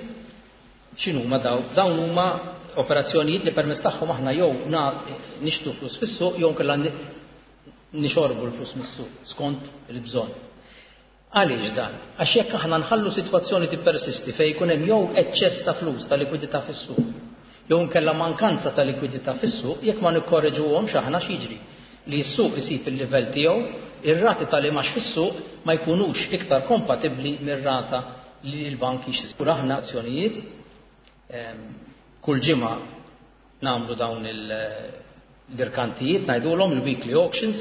B: X'inhuma dawn? Dawn huma operazzjonijiet li permezz tagħhom aħna jew na-, nixtru flus fis-suq jew inkella ni-, nixorbu l-flus mis-suq skont il-bżonn. Għaliex dan? Għax jekk aħna nħallu sitwazzjoni tippersisti fejn jkun hemm jew eċċess ta' flus ta' likwidità fis-suq, jew inkella mankanza ta' likwidità fis-suq, jekk ma nikkorreġuhomx aħna x'jiġri? Li s-suq isib il-livell tiegħu, ir-rati tal-imgħax fis-suq ma jkunux iktar kompatibbli mir-rata li l-bank jixtri. Aħna azzjonijiet, ehm, kull ġimgħa nagħmlu dawn il-dirkantijiet, ngħidulhom il-weekly auctions,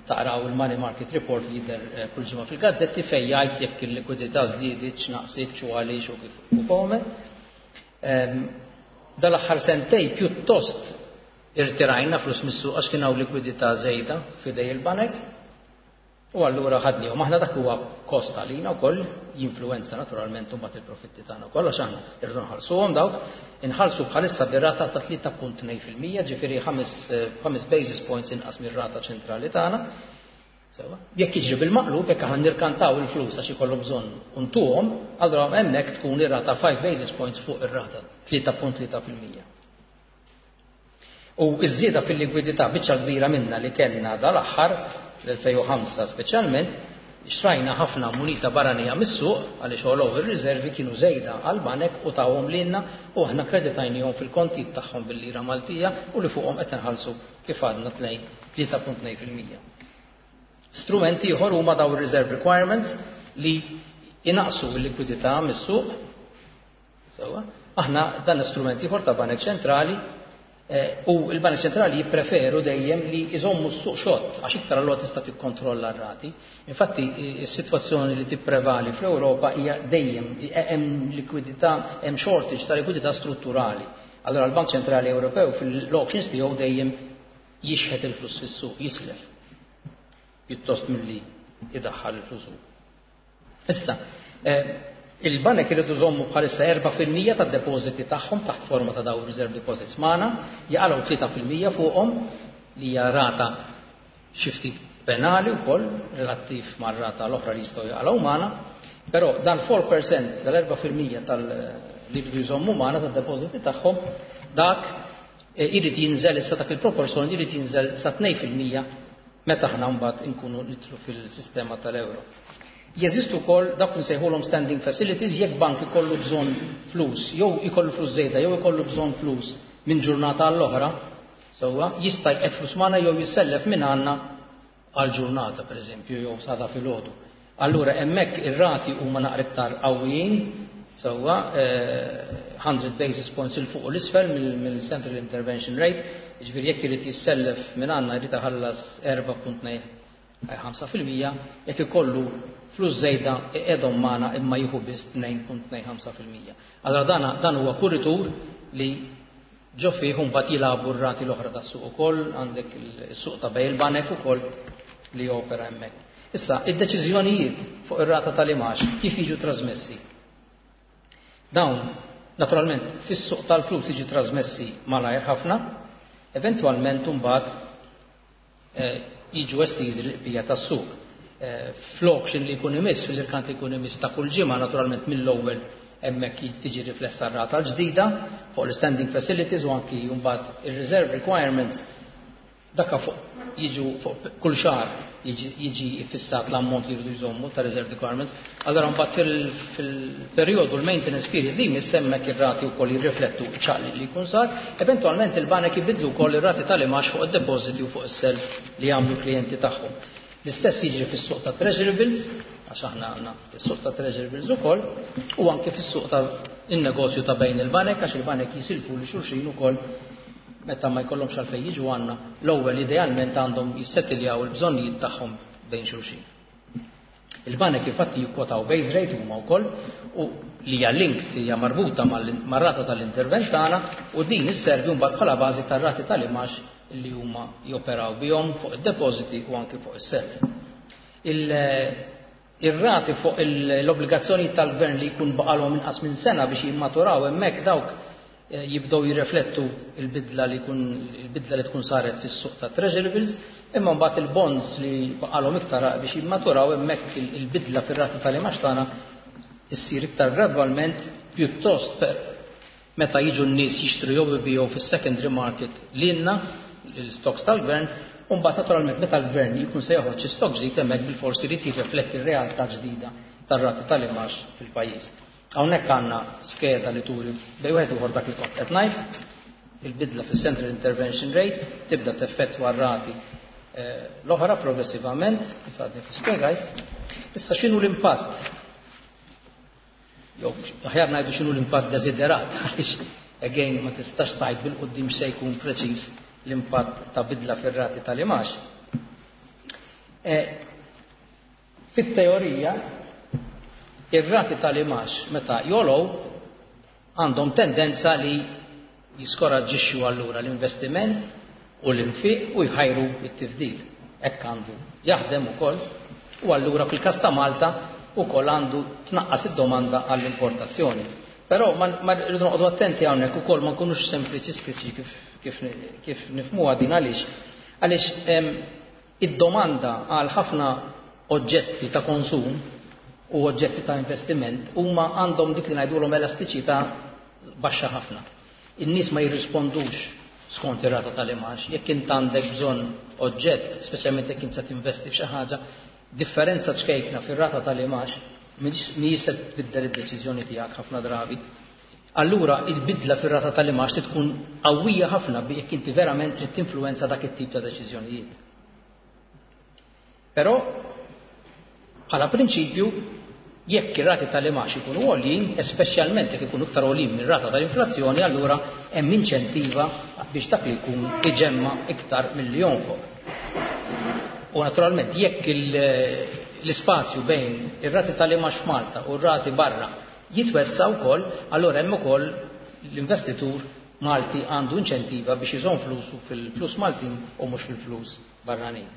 B: taqraw il-Money Market Report li jidher, eh, kull ġimgħa fil-gazzetti fejn jgħid jekk il-likwidità żdiedet, x'naqsit, u għaliex u kif u kome. Ehm, dal-aħħar sentej pjuttost irtirajna flus mis-suq għax kien hawn likwidità żejda f'idej il-banek. U allura ħadnihom. Aħna dak huwa kost għalina wkoll, jinfluwenza naturalment imbagħad il-profitti tagħna wkoll għax aħna irridu nħallsuhom dawk. Inħallsu bħalissa bir-rata ta' tlieta punt tnejn fil-mija, ġifieri ħames, eh, ħames basis points inqas mir-rata ċentrali tagħna. Sewa. Jekk jiġri bil-maqlub, jekk aħna nirkantaw il-flus għax ikollhom bżonn untuhom, allura hemmhekk tkun ir-rata five basis points fuq ir-rata tlieta punt tlieta fil-mija. U iż-żieda fil-likwidità biċċa kbira minna li kellna dal-aħħar, l-elfejn u ħamsa speċjalment, xtrajna ħafna munita barranija mis-suq għaliex għolow ir-riservi kienu żejda għall-banek u tawhom lilna u aħna kreditajnihom fil-kontijiet tagħhom bil-lira Maltija u li fuqhom qed inħallsu kif għadna tnejn, tlieta punt tnejn fil-mija. Strumenti ieħor huma daw ir-reserve requirements li jinaqsu l-likwidità mis-suq. Sewwa, aħna dan l-istrument ieħor ta' Banek Ċentrali, eh, u l-Banek Ċentrali jippreferu dejjem li jżommu s-suq xott għax iktar allura tista' tikkontrolla r-rati. Infatti is-sitwazzjoni li tipprevali fl-Ewropa hija dejjem hemm likwidità, hemm shortage ta' likwidità strutturali. Allora l-Bank Ċentrali Ewropew fil-auctions tiegħu dejjem jixħet il-flus fis-suq, jislef pjuttost milli idaħħal il-flus hu. Issa, eh, il-banek iridu jżommu bħalissa erba' fil-mija tad-depożiti tagħhom taħt forma ta' dawn reserve deposits magħna, jaqalgħu tlieta fil-mija fuqhom li hija rata xi ftit penali wkoll relattiv mar-rata l-oħra li jistgħu jaqalgħu magħna, però dan four percent tal-erba' fil-mija tal li jridu jżommu magħna tad-depożiti tagħhom, dak, eh, irid jinżel issa dak il-proporzjon irid jinżel sa tnejn fil-mija meta aħna mbagħad inkunu nidħlu fil-sistema tal-euro. Jeżistu wkoll dak li nsejħulhom standing facilities jekk bank ikollu bżonn flus, jew ikollu flus żejda, jew ikollu bżonn flus minn ġurnata għall-oħra, sewwa jista' jqed flus magħna jew jissellef minn għandna għal ġurnata pereżempju jew sada filgħodu. Allura hemmhekk ir-rati huma naqra iktar qawwijin, sewwa, eh, hundred basis points il fuq u l-isfel mill-, mill-Central Intervention Rate, jiġifieri jekk irid jissellef minn għandna jrid iħallas erba' punt tnejn ħamsa fil-mija, jekk ikollu flus żejda iqegħdhom magħna imma jieħu biss tnejn punt tnejn ħamsa fil-mija. Allora dan, dan huwa kuritur li ġo fih mbagħad jilagħbu r-rati l-oħra tas-suq ukoll, għandek is-suq ta' bejn il-banek ukoll li jopera hemmhekk. Issa, id-deċiżjonijiet fuq ir-rata tal-imax kif jiġu trasmessi? Dawn, naturalment, fis-suq tal-flus jiġu trasmessi malajr ħafna, eventwalment imbagħad, eh, jiġu estiżi l-qbija tas-suq. Eh, fl-auction li jkun imiss, fil-irkant li jkun imiss ta' kull ġimgħa, naturalment mill-ewwel Hemmhekk tiġi riflessa r-rata l-ġdida fuq l-standing facilities u anki mbagħad ir-reserve requirements. Dakka fuq jiġu fuq kull xahar jiġi fissat l-ammont li jridu jżommu ta' reserve requirements. Allora mbagħad fil-perjodu l-maintenance period li hemmhekk ir-rati wkoll jirriflettu ċaqli li jkun sar. Eventwalment il-banek jibidlu wkoll ir-rati tal-imgħax fuq id-depositi u fuq is-self li jagħmlu klijenti tagħhom. L-istess jiġri fis-suq ta' treasury bills, għax aħna għandna fis-suq ta' treasury bills ukoll, u anke fis-suq ta' in-negozju ta' bejn il-banek, għax il-banek jisilfu lil xulxin ukoll meta ma jkollhomx għalfejn jiġu għandna. L-ewwel idealment għandhom jissettiljaw il-bżonnijiet tagħhom bejn xulxin. Il-banek infatti jikkwotaw base rate huma wkoll u li hija linked, hija marbuta mar-rata tal-intervent tagħna, u din isservi mbagħad bħala bażi tar-rati tal-imgħax li huma joperaw bihom fuq id-depositi u anke fuq is-self. Ir-rati fuq l-obbligazzjoni tal-gvern li jkun baqalhom inqas minn sena biex jimmaturaw, hemmhekk dawk eh, jibdew jirreflettu il-bidla li jkun il-bidla li tkun saret fis-suq ta' treasury bills, imma mbagħad il-bonds li baqalhom iktar biex jimmaturaw, hemmhekk il-bidla fir-rati tal-imgħax tagħna issir iktar gradwalment, pjuttost meta jiġu n-nies jixtru jew ibiegħu fis-secondary market lilna l-stocks tal-gvern, u mbagħad naturalment meta l-gvern jkun se joħroġ stock ġdid, hemmhekk bil-forsi jrid jirrifletti r-realtà ġdida tar-rati tal-imgħax fil-pajjiż. Hawnhekk għandna skeda li turi bejn wieħed ieħor dak li kont qed ngħid: il-bidla fis-central intervention rate tibda teffettwa r-rati eh, l-oħra progressivament, kif għadni kif spjegajt. Issa, x'inhu l-impatt? Jew aħjar ngħidu x'inhu l-impatt desiderat, għaliex again ma tistax tgħid bil-quddiem se jkun preċiż l-impatt ta' bidla fir-rati tal-imgħax. E, Fit-teorija, ir-rati tal-imgħax meta jogħlew għandhom tendenza li jiskoraġġixxu allura l-investiment u l-infiq u jħajru it-tifdil. Hekk għandu jaħdem ukoll u allura fil-każ ta' Malta ukoll għandu tnaqqas id-domanda għall-importazzjoni. Però ma rridu noqogħdu attenti hawnhekk ukoll, ma nkunux sempliċistiċi kif kif, kif nifhmuha din. Għaliex? Għaliex id-domanda għal ħafna oġġetti ta' konsum u oġġetti ta' investiment huma għandhom dik li ngħidulhom elastiċità baxxa ħafna. In-nies ma jirrispondux skont ir-rata tal-imgħax. Jekk int għandek bżonn oġġett, speċjalment jekk int se tinvesti f'xi ħaġa, differenza ċkejkna fir-rata tal-imgħax mhijiex se tbiddel id-deċiżjoni tiegħek ħafna drabi. Allura il-bidla fir-rata tal-imgħax tkun qawwija ħafna jekk inti verament trid tinfluwenza dak it-tip ta' deċiżjonijiet. Però bħala prinċipju, jekk ir-rati tal-imgħax ikunu għoljin, speċjalment jekk ikunu iktar għoljin mir-rata tal-inflazzjoni, allura hemm inċentiva biex dak li jkun iġemma iktar milli jonfoq. U naturalment jekk l-ispazju bejn ir-rati tal-imgħax f'Malta u r-rati barra jitwessa wkoll, allura hemm ukoll l-investitur Malti għandu inċentiva biex iżomm flusu fil-flus Maltin u mhux fil-flus barranin.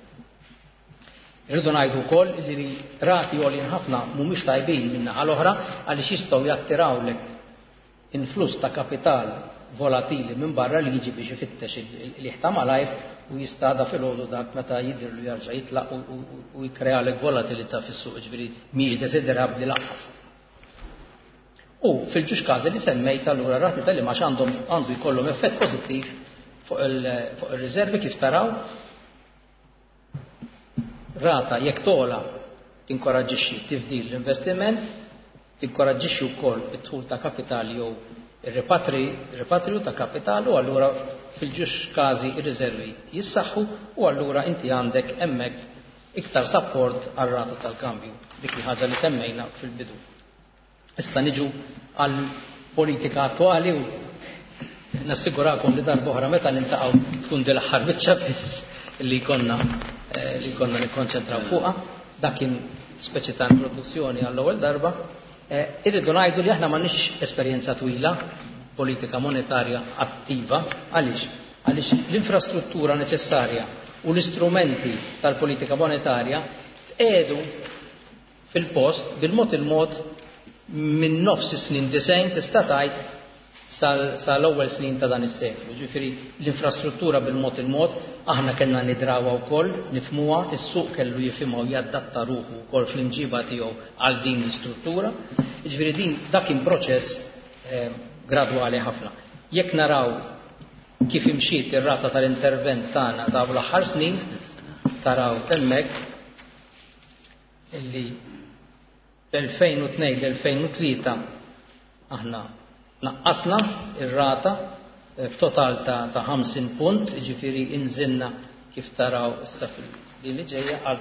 B: Irridu ngħidu wkoll li rati għolin ħafna mhumiex tajbin minn naħa l-oħra, għaliex jistgħu jattirawlek influss ta' kapital volatili minn barra li jiġi biex ifittex il-ħta malajr u jistada fil-ħodu dak meta jidhirlu jarġa' jitlaq u jkrealek volatilità fis-suq, ġifieri mhijiex desiderabbli lanqas. U fil-ġuġ każi li semmejt, allura rati tal-imgħax għandhom għandu jkollhom effett pożittiv fuq il-riservi, kif taraw. Rata jekk togħla tinkoraġġixxi tifdil, l-investiment, tinkoraġġixxi wkoll id-dħul ta' kapitali jew ir-ripatriju ta' kapital, u allura fil-ġuġ każi ir-riservi jissaħħu u allura inti għandek hemmhekk iktar support għar-rata tal-kambju, dik il-ħaġa li semmejna fil-bidu. Issa niġu għal politika attwali u nassigurakom li darb'oħra meta niltaqgħu tkun din l-aħħar biċċa biss li konna eh, li konna nikkonċentraw fuqha. Dak kien speċi ta' introduzzjoni għall-ewwel darba. Eh, irridu ngħidu li aħna m'għandniex esperjenza twila politika monetarja attiva. Għaliex? Għaliex l-infrastruttura neċessarja u l-istrumenti tal-politika monetarja tqiegħdu fil-post bil-mod il-mod minn nofs is-snin disgħin, tista' tgħid, sal-ewwel snin ta' dan is-seklu. Ġifieri l-infrastruttura bil-mod il-mod aħna kellna nidrawha wkoll, nifhmuha, is-suq kellu jifhimha u jadatta ruħu wkoll fl-imġiba tiegħu għal din l-istruttura. Jiġifieri din dak kien proċess eh, gradwali ħafna. Jekk naraw kif imxiet ir-rata tal-intervent tagħna dawn l-aħħar snin, taraw hemmhekk illi l-elfejn u tnejn l-elfejn u tlieta aħna naqqasna ir-rata f'total ta', ta' ħamsin punt, jiġifieri inżilna kif taraw issa fil-din li ġejja għal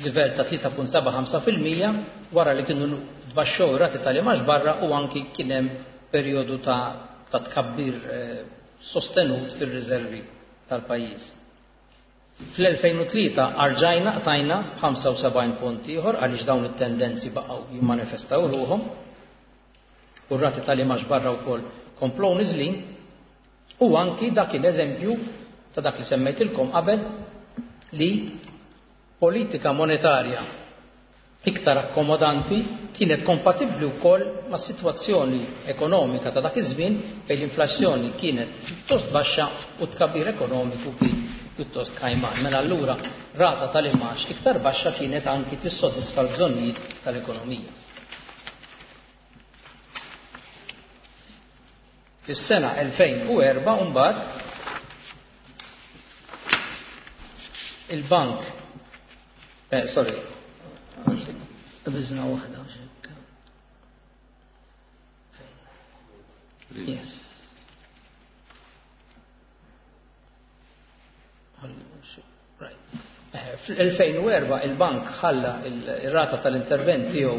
B: livell ta' tlieta punt seba' ħamsa fil-mija wara li kienu tbaxxew ir-rati tal-imax barra u anki kien hemm perjodu ta', ta' tkabbir, eh, sostenut fir-riservi tal-pajjiż. Fl-elfejn u tlieta arġajna qtajna ħamsa u sebgħin punt ieħor għaliex dawn it-tendenzi baqgħu jimmanifestaw ruħhom u r-rati tal-imax barra wkoll komplow niżlin, u anki dak l-eżempju ta' dak li semmejtilkom qabel li politika monetarja iktar akkomodanti kienet kompatibbli wkoll ma' sitwazzjoni ekonomika ta' dak iż-żmien fejn l-inflazzjoni kienet pjuttost baxxa u tkabbir ekonomiku kien pjuttost kajman. Mela allura rata tal-imax iktar baxxa kienet anki tissodisfa l-bżonnijiet tal-ekonomija. Fis-sena elfejn u erba' mbagħad il-bank, eh, sorry, biżna waħda. Yes. Right. Eh, fl-elfejn u erba' il-bank ħalla il-rata tal-intervent tiegħu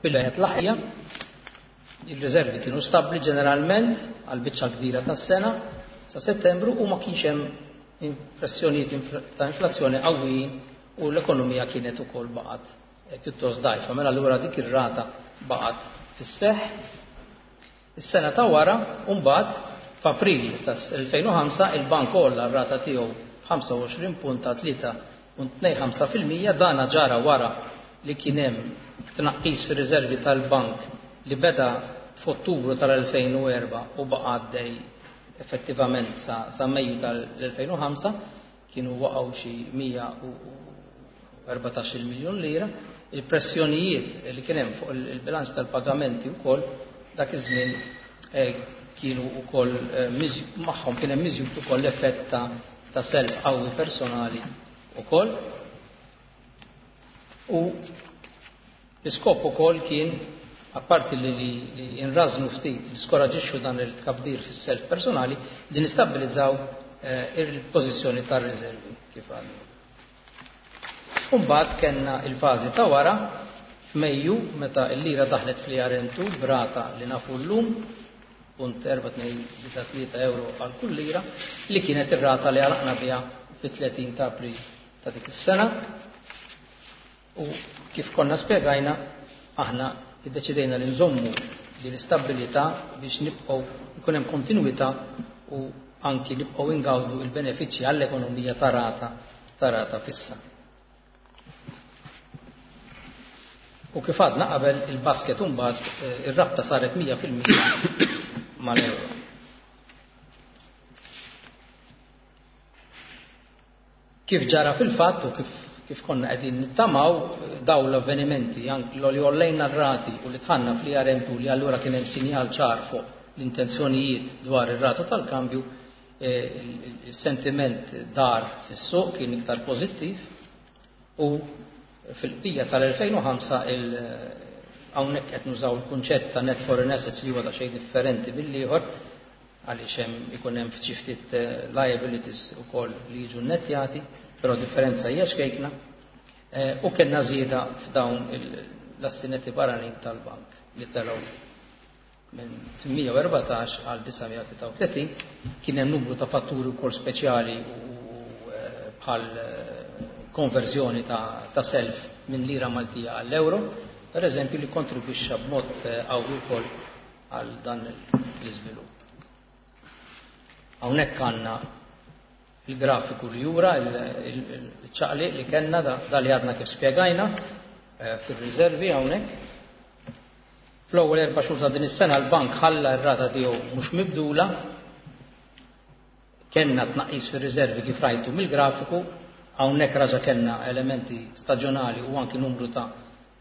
B: billi qed laħja. Il-riservi kienu stabbli ġeneralment għal biċċa kbira tas-sena sa Settembru u ma kienx hemm pressjonijiet infl-, ta' inflazzjoni qawwijin u l-ekonomija kienet ukoll baqgħet, eh, pjuttost dgħajfa. Mela allura dik ir-rata baqgħet fis-seħħ. Is-sena ta' wara mbagħad f'April tas-elfejn u ħamsa il-bank għolla r-rata tiegħu ħamsa u għoxrin punt ta' tlieta punt tnejn ħamsa fil-mija. Dana ġara wara li kien hemm tnaqqis fir-riservi tal-bank li beda f'Ottubru tal-elfejn u erba' u baqa' għaddej effettivament sa, sa Mejju tal-elfejn u ħamsa, kienu waqgħu xi mija u erbatax-il miljun lira. Il-pressjonijiet li kien hemm fuq il-, il-bilanċ tal-pagamenti wkoll dak iż-żmien, eh, kienu wkoll, eh, miż-, magħhom kien hemm miżjud ukoll l-effett ta', ta' self qawwi personali wkoll. U l-iskop ukoll kien, apparti li, li, li nrażnu ftit, niskoraġixxu dan il-tkabbir fis-self personali, li nistabbilizzaw, eh, il-pożizzjoni tar-riservi kif għandna. Mbagħad kellna il-fażi ta' wara f'Mejju meta l-lira daħlet fl-E R M two b'rata li nafu llum punt erba' tnejn disa' tlieta euro għal kull lira, li kienet ir-rata li għalaqna biha fit-tletin ta' April ta' dik is-sena. U kif konna spjegajna, aħna iddeċidejna li nżommu din l-istabbilità biex nibqgħu ikun hemm kontinwità u anki nibqgħu ingawdu il-benefiċċji għall-ekonomija ta' rata ta' rata fissa. U kif għadna qabel il-basket imbagħad, eh, ir-rabta saret mija fil-mija mal-euro. Kif ġara fil-fatt u kif, kif konna qegħdin nittamaw daw l-avvenimenti anki li għollejna r-rati u li tħanna fl-E R M two li allura kien hemm sinjal ċar fuq l-intenzjonijiet dwar ir-rata tal-kambju, eh, il-sentiment dar fis-suq kien iktar pożittiv u fil-qbija tal-elfejn u ħamsa il-, hawnhekk qed nużaw il-kunċett ta' net foreign assets li huwa ta' xejn differenti mill-ieħor għaliex hemm ikun hemm xi ftit, eh, liabilities ukoll li jiġu nettjati, però differenza hija xkejkna, eh, u kellna żieda f'dawn il-, l-assi netti barranin tal-bank li telgħu minn tmija u erbatax għal disa' mija tlieta u tletin. Kien hemm numru ta' fatturi wkoll speċjali u, eh, bħal, eh, konverżjoni ta', ta' self minn lira Maltija għall-euro, per eżempju, li kontribwixxa b'mod, eh, qawwi wkoll għal dan l-iżvilupp. Hawnhekk għandna il-grafiku li jura il-, il-, il-ċaqliq li kellna da, da li għadna kif spjegajna, eh, fir-riservi hawnhekk. Fl-ewwel erba' xhur ta' din is-sena l-bank ħalla r-rata tiegħu mhux mibdula, kellna tnaqqis fir-riservi kif rajtu mill-grafiku, hawnhekk raġa' kellna elementi staġjonali u anki numru ta',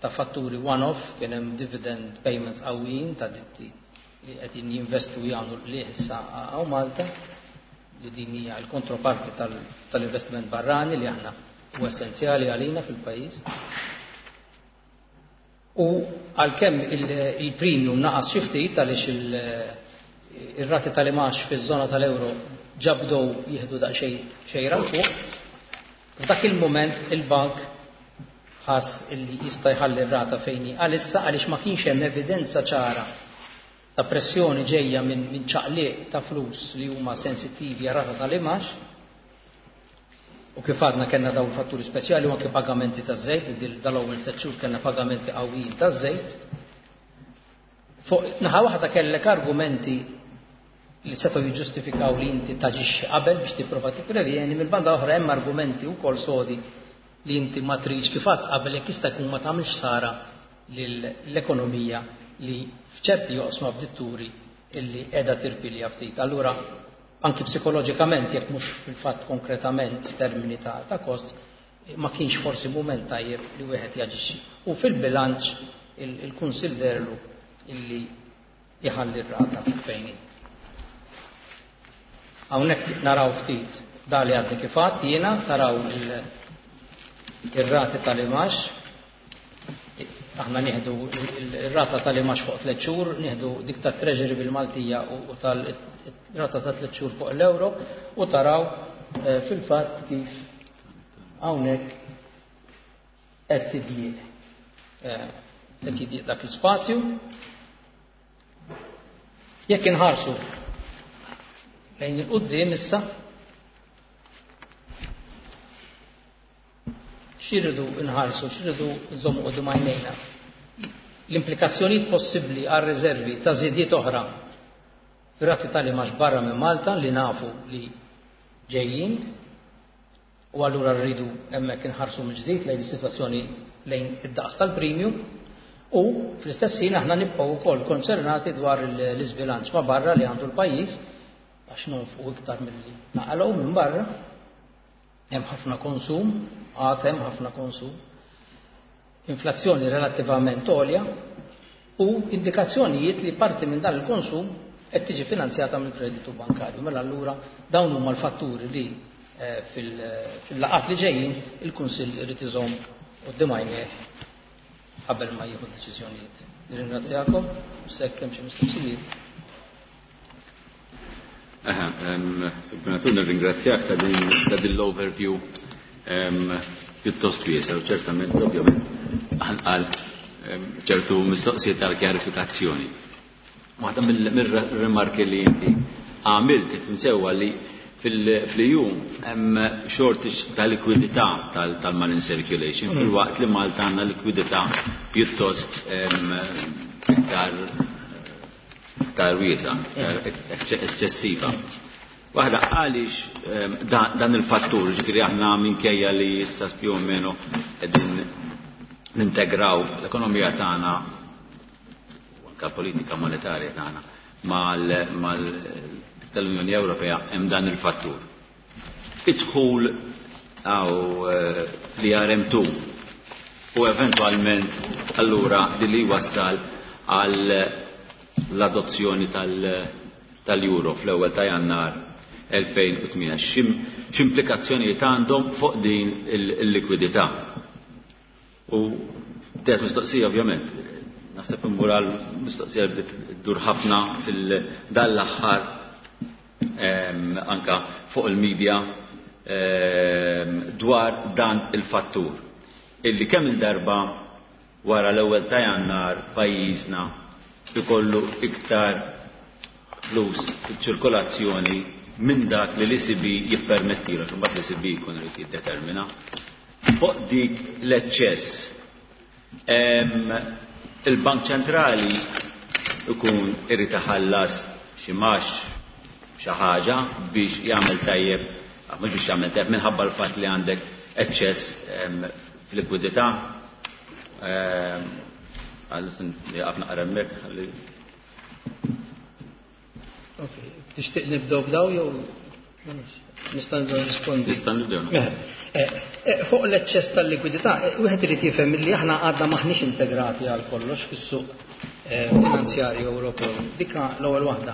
B: ta' fatturi one-off, kien hemm dividend payments qawwijin ta' ditti li qegħdin jinvestu jagħmlu li issa hawn Malta, li din hija l-kontroparti tal-investiment barrani li aħna huwa essenzjali għalina fil-pajjiż. U għalkemm il-premium naqas xi ftit għaliex ir-rati tal-imax fiż-żona tal-euro ġabdow jieħdu daqsxejn xejra fuq, f'dak il-mument il-bank ħass illi jista' jħalli r-rata fejn hi għalissa, għaliex ma kienx hemm evidenza ċara ta' pressjoni ġejja minn min ċaqliq ta' flus li huma sensittivi għar-rata tal-imax. U kif għadna kellna dawn il-fatturi speċjali u anke pagamenti taż-żejt, dal-ewwel tliet xhur kellna pagamenti qawwijin taż-żejt. Fuq naħa waħda kellek argumenti li setgħu jiġġustifikaw li inti taġixxi qabel biex tipprova tipprevjeni, mill-banda oħra hemm argumenti wkoll sodi li inti ma tridx kif għadt qabel jekk jista' jkun ma tagħmilx sara lill-ekonomija li f'ċerti joqsma bditturi illi qiegħda tirpilja ftit. Allura anki psikoloġikament, jekk mhux fil-fatt konkretament f'termini ta', ta' kost, ma kienx forsi mument tajjeb li wieħed jaġixxi. U fil-bilanċ il-Kunsill derlu illi jħalli r-rata fejn hi. Hawnhekk naraw ftit da li għadni kif għadt jiena, taraw ir-rati tal-imax. Aħna nieħdu ir-rata tal-imax fuq tliet xhur, nieħdu dik ta' Treasury bil-Maltija u tal-rata ta' tliet xhur fuq l-euro, u taraw fil-fatt kif hawnhekk qed tidjieq. Qed jidjieq dak l-ispazju. Jekk inħarsu lejn il-quddiem issa, x'irridu nħarsu, x'irridu nżommu quddiem għajnejna? L-implikazzjonijiet possibbli għar riservi ta' żidiet oħra fir-rati tal-imax barra minn Malta li nafu li ġejjin, u allura rridu hemmhekk inħarsu mill-ġdid lejn is-sitwazzjoni lejn id-daqs tal-premium, u fl-istess ħin aħna nibqgħu wkoll konċernati dwar l-iżbilanċ ma' barra li għandu l-pajjiż, għax nonfqu iktar milli naqalgħu minn barra. Hemm ħafna konsum, għad hemm ħafna konsum, inflazzjoni relattivament għolja u indikazzjonijiet li parti minn dan il-konsum qed tiġi finanzjata mill-kreditu bankarju. Mela allura dawn huma l-fatturi li fil-laqat li ġejjin il-Kunsill irid iżomm quddiem għajnejh qabel ma jieħu deċiżjonijiet. Nirringrazzjakom u sekk hemm xi mistoqsijiet.
A: Aha, Gvernatur, nirringrazzjak ta' din l-overview pjuttost wiesa' u ċertament, ovvjament, għal ċertu mistoqsijiet tal-kjarifikazzjoni. Waħda mill-rimarki li inti għamilt tifhem sewwa li fil-E U hemm shortage ta' likwidità tal-money circulation, fil-waqt li Malta għandna likwidità pjuttost iktar iktar wiesa, eċċessiva. Waħda għaliex dan il-fattur, ġifieri aħna minkejja li issa più o meno qegħdin nintegraw l-ekonomija tagħna u anke l-politika monetarja tagħna mal tal-Unjoni Ewropea, hemm dan il-fattur. Idħul għaw l R M two u eventwalment allura li li wassal għal l-adozzjoni tal-euro fl-ewwel ta' Jannar elfejn u tmienja. X'implikazzjonijiet għandhom fuq din il-likwidità? U teħet mistoqsija ovvjament, naħseb immur għal mistoqsija li bdiet ddur ħafna fil-dan l-aħħar anka fuq il-medja dwar dan il-fattur illi kemm il-darba wara l-ewwel ta' Jannar pajjiżna ikollu iktar flus fiċ-ċirkolazzjoni minn dak li l-E C B jippermettilu, imbagħad l-E C B jkun irid jiddetermina. Fuq dik l-eċċess, il-Bank Ċentrali ikun irid iħallas xi max xi ħaġa biex jagħmel tajjeb, mhux biex jagħmel tajjeb minħabba l-fatt li għandek eċċess fil-likwidità. Għal-sin li għafna naqra hemmhekk, ħalli.
B: Ok, tixtieq nibdew b'daw jew nista' nibdew nrispondi?
A: Nista' nibdew.
B: Mela, Fuq l-eċċess tal-likwidità, wieħed irid jifhem li aħna għadna maħniex integrati għal kollox fis-suq finanzjarju Ewropew. Dika l-ewwel waħda.